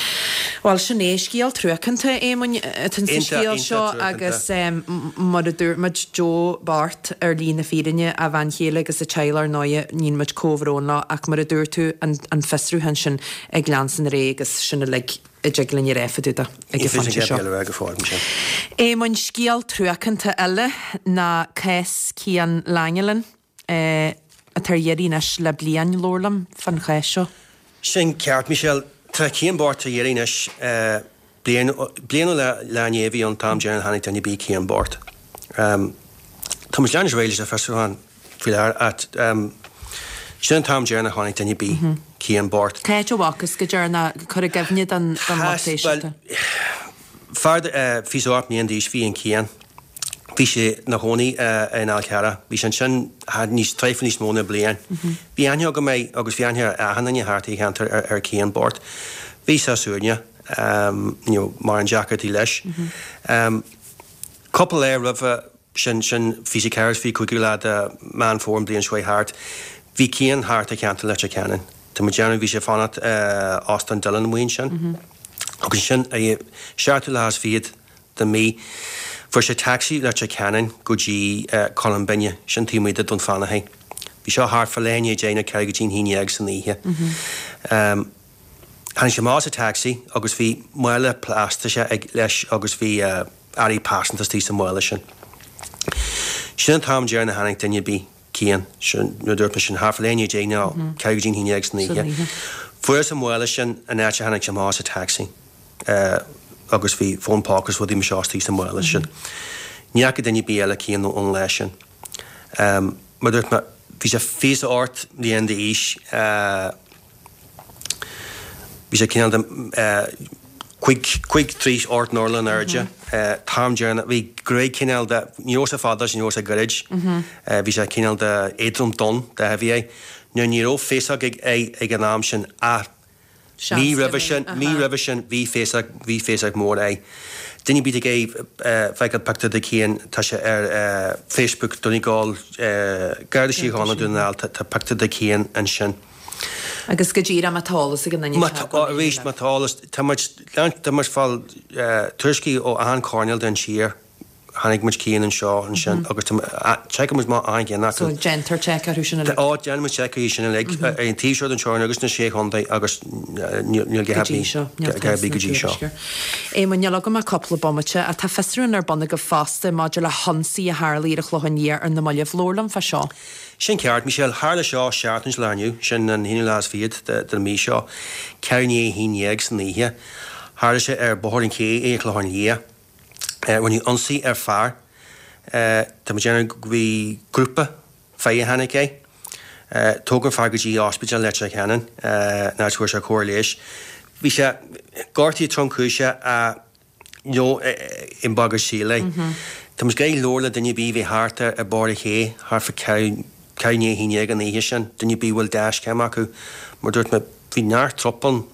Bhuel, sin é scéal truacánta, Éamoinn, atá sa Iontach, scéal iontach seo truacánta. agus mar a dúirt muid, Joe bocht ar shlí na fírinne, a bhean chéile agus a teaghlach ar ndóighe, níonn muid comhbhrón leo ach mar a dúirt tú, an, an fiosrúchán sin ag leanstan ar aghaidh agus sin uilig a dtig linn a rá fá dtaobh de ag Ní an féidir phointe seo. a rá go fóill, Michelle. Éamoinn, scéal truacánta eile ná cás Cian Langelan, eh, atá ar iarraidh anois le bliain, labhair liom fán chás seo. Sin ceart, Michelle. Tá Cian bocht ar iarraidh anois, eh, bliain, bliain ó lá, lá inné a bhí an t-am deireanach a chonaic duine ar bith Cian bocht. Um, tá muid ag leanúint ar aghaidh leis an fiosrúchán faoi láthair ach, um, sin an t-am deireanach a chonaic duine ar bith Cian bocht. Cá háit a bhfacthas go deireanach cuir i gcuimhne don, don lucht Has, éisteachta. well, fear, eh, fiche is a hocht mbliain d'aois bhí in Cian. Bhí sé ina chónaí eh, in Fhál Carrach. Bhí sé ansin níos traidhfil níos mó ná bliain. Bhí aithne agam air agus bhí aithne ar achan duine thart sa cheantar ar, ar Cian bocht. Bhí sé suaimhneach, um, you know, mórán deacrachtaí leis. Um, cúpla lá roimhe sin sin fiche a ceathair fiche cúigiú lá de Meán Fómhair an bliain seo thart. Bhí Cian thart i ceantar Leitir Ceanainn. Tá muid déanamh bhí sé fanacht uh, Óstán Dillon amuigh ansin. Agus sin é seachtú lá is fichead den mí. Fuair sé taxi Leitir Ceanainn go dtí uh, Colm Binne, sin taobh amuigh de Dún Fionnachaidh. Bhí seo thart fá leath i ndiaidh a deich nó ceathrú go dtí an haon dhéag san oíche. Um, Tháinig sé amach as an taxi agus bhí mála plaisteach ag leis agus bhí uh, earraí pearsanta istigh sa mála sin. Sin an t-am deireanach a chonaic duine ar bith Cian, sin nuair a dúirt mé sin thart fá leath i ndiaidh a deich nó ceathrú go dtí an haon dhéag san oíche. oíche. Fuarthas an mála sin an áit a tháinig sé amach as an taxi. Uh, agus bhí fón póca is rudaí mar seo istigh sa mála sin. Ní fhaca duine ar bith eile Cian ón lá sin. Um, mar dúirt mé, bhí sé fiche is a hocht mbliain d'aois, uh, Bhí sé cineál de cúig, cúig, trí, ocht n-orlach in airde. T-am deireanach, bhí gruaig cineál de, ní raibh sé fada is ní raibh sé gairid. Bhí sé cineál de éadrom donn, dath a bhí air. Now ní raibh féasóg air ag an am sin ach mí roimhe sin, mí roimhe sin bhí féasóg, bhí féasóg mór air. Duine ar bith ag iarraidh feiceáil pictiúr de Cian, tá sé ar Facebook, Donegal, Garda Síochána Dún na nGall, tá pictiúr de Cian ansin. Agus go díreach má tá eolas ag an duine Má tá, arís, má tá eolas, tá muid, tá muid ag fáil tuairiscí ó achan choirnéal den tír, chonaic muid Cian anseo, ansin, agus tá, seiceáil muid amach achan gceann acu. So déantar seic orthu sin uilig? Ó, déanann muid seic orthu sin uilig, ar an taobh seo den teorainn agus na Sé Chontae agus níl go dtí seo, níl go dtí seo. Éamonn, níl agam ach cúpla bomaite, ach tá fiosrúchán ar bun agaibh fosta maidir le hionsaí a tharlaigh ar an Chlochán Liath ar na mallaibh. Labhair liom fá seo. Sin ceart, Michelle. Tharla seo seachtain ón lá inniu, sin an haonú lá is fichead den mhí seo, ceathrú i ndiaidh a haon dhéag san oíche. Tharla sé ar Bhóthar an Ché ar an Chlochán Liath. Rinneadh ionsaí ar fear. Tá muid ag déanamh go bhí grúpa fir a chonaic é. Tógadh an fear go dtí Ospidéal Leitir Ceanainn, in áit a bhfuair sé cóir leighis. Bhí sé gortaithe tromchúiseach ach ní i mbagairt saoil é. Tá muid ag iarraidh labhairt le duine ar bith a bhí thart ar Bhóthar an Ché thart fá ceathrú i ndiaidh a haon dhéag an oíche sin, duine ar bith a bhfuil dashcam acu. Mar dúirt mé, bhí neart trup ann.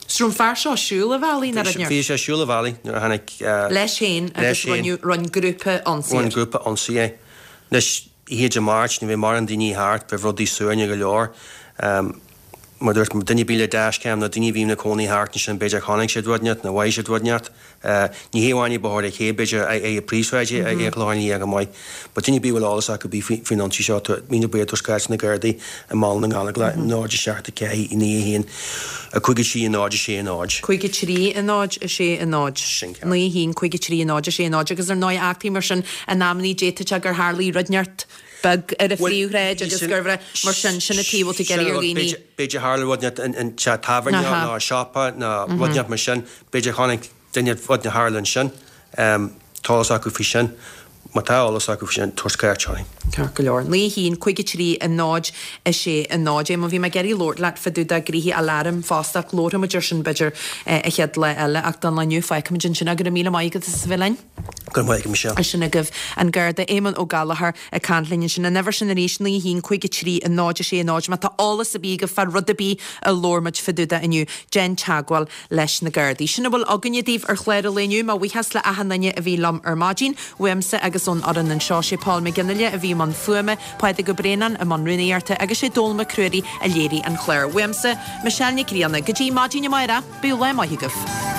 So raibh an fear seo ag siúl an bhealaigh nuair a. Bhí sé ag siúl an bhealaigh nuair a tháinig. Leis féin agus rinne grúpa ionsaí air. Rinne grúpa ionsaí air. Anois, oíche Dé Máirt, ní bheidh mórán daoine thart, beidh rudaí suaimhneach go leor. Mar a dúirt mé, duine ar bith le dashcam nó daoine a bhí ina cónaí thart ansin, b'fhéidir chonaic siad rud inteacht nó mhothaigh siad rud inteacht. Ní hé amháin i Bóthar an Ché, b'fhéidir ar na príomhshráideanna ar an Chlochán Liath chomh maith. But duine ar bith a bhfuil eolas acu bí faoin ionsaí seo, tá míle buíochas tabhairt cuairt na Gardaí i mBaile na nGallóglach, náid a seacht a ceathair naoi a haon a cúig a trí a náid a sé a náid. cúig a trí a náid a sé a náid. Sin ceart. Naoi a haon cúig a trí a náid a sé a náid agus ar ndóigh eachtraí mar sin in amannaí d'fhéadfadh sé gur tharlaigh rud inteacht beag ar an phríomhshráid agus gur mar sin, sin an taobh a bhfuil tú ag iarraidh ar dhaoine. B'fhéidir tharla rud inteacht in teach tábhairne nó siopa nó rud inteacht mar sin, b'fhéidir chonaic duine rud a tharla ansin, tá eolas acu faoi sin. Má tá eolas acu faoi sin, tabhairt cuairt orainn. Ceart go leor. Naoi a haon, cúig a trí, a náid, a sé, a náid. Éamonn, bhí mé ag iarraidh labhairt leat fá dtaobh de ghnoithí aláraim fosta ach labharfaidh muid ar sin b'fhéidir an chéad lá eile ach don lá inniu fágfaimid ansin é. Go raibh míle maith agat as a bheith linn. Go raibh maith agat, Michelle. Sin agaibh an Garda Éamonn Ó Gallchóir ag caint linn ansin. An uimhir sin arís, naoi a haon, cúig a trí, a náid, a sé, a náid. Má tá eolas ar bith agaibh fá rud ar bith a labhair muid fá dtaobh de inniu, déan teagmháil leis na Gardaí. Sin a bhfuil againne daoibh ar chlár an lae inniu. Mo bhuíochas le achan duine a bhí liom ar maidin, uaimse agus ón fhoireann anseo. Sé Paul McGinley a bhí i mbun fuaime, Pádraig Ó Braonáin i mbun rúnaíochta agus sé Dónal Mac Ruairí a léirigh an clár. Uaimse, Michelle Nic Grianna. Go dtí maidin amárach, bíodh lá maith agaibh.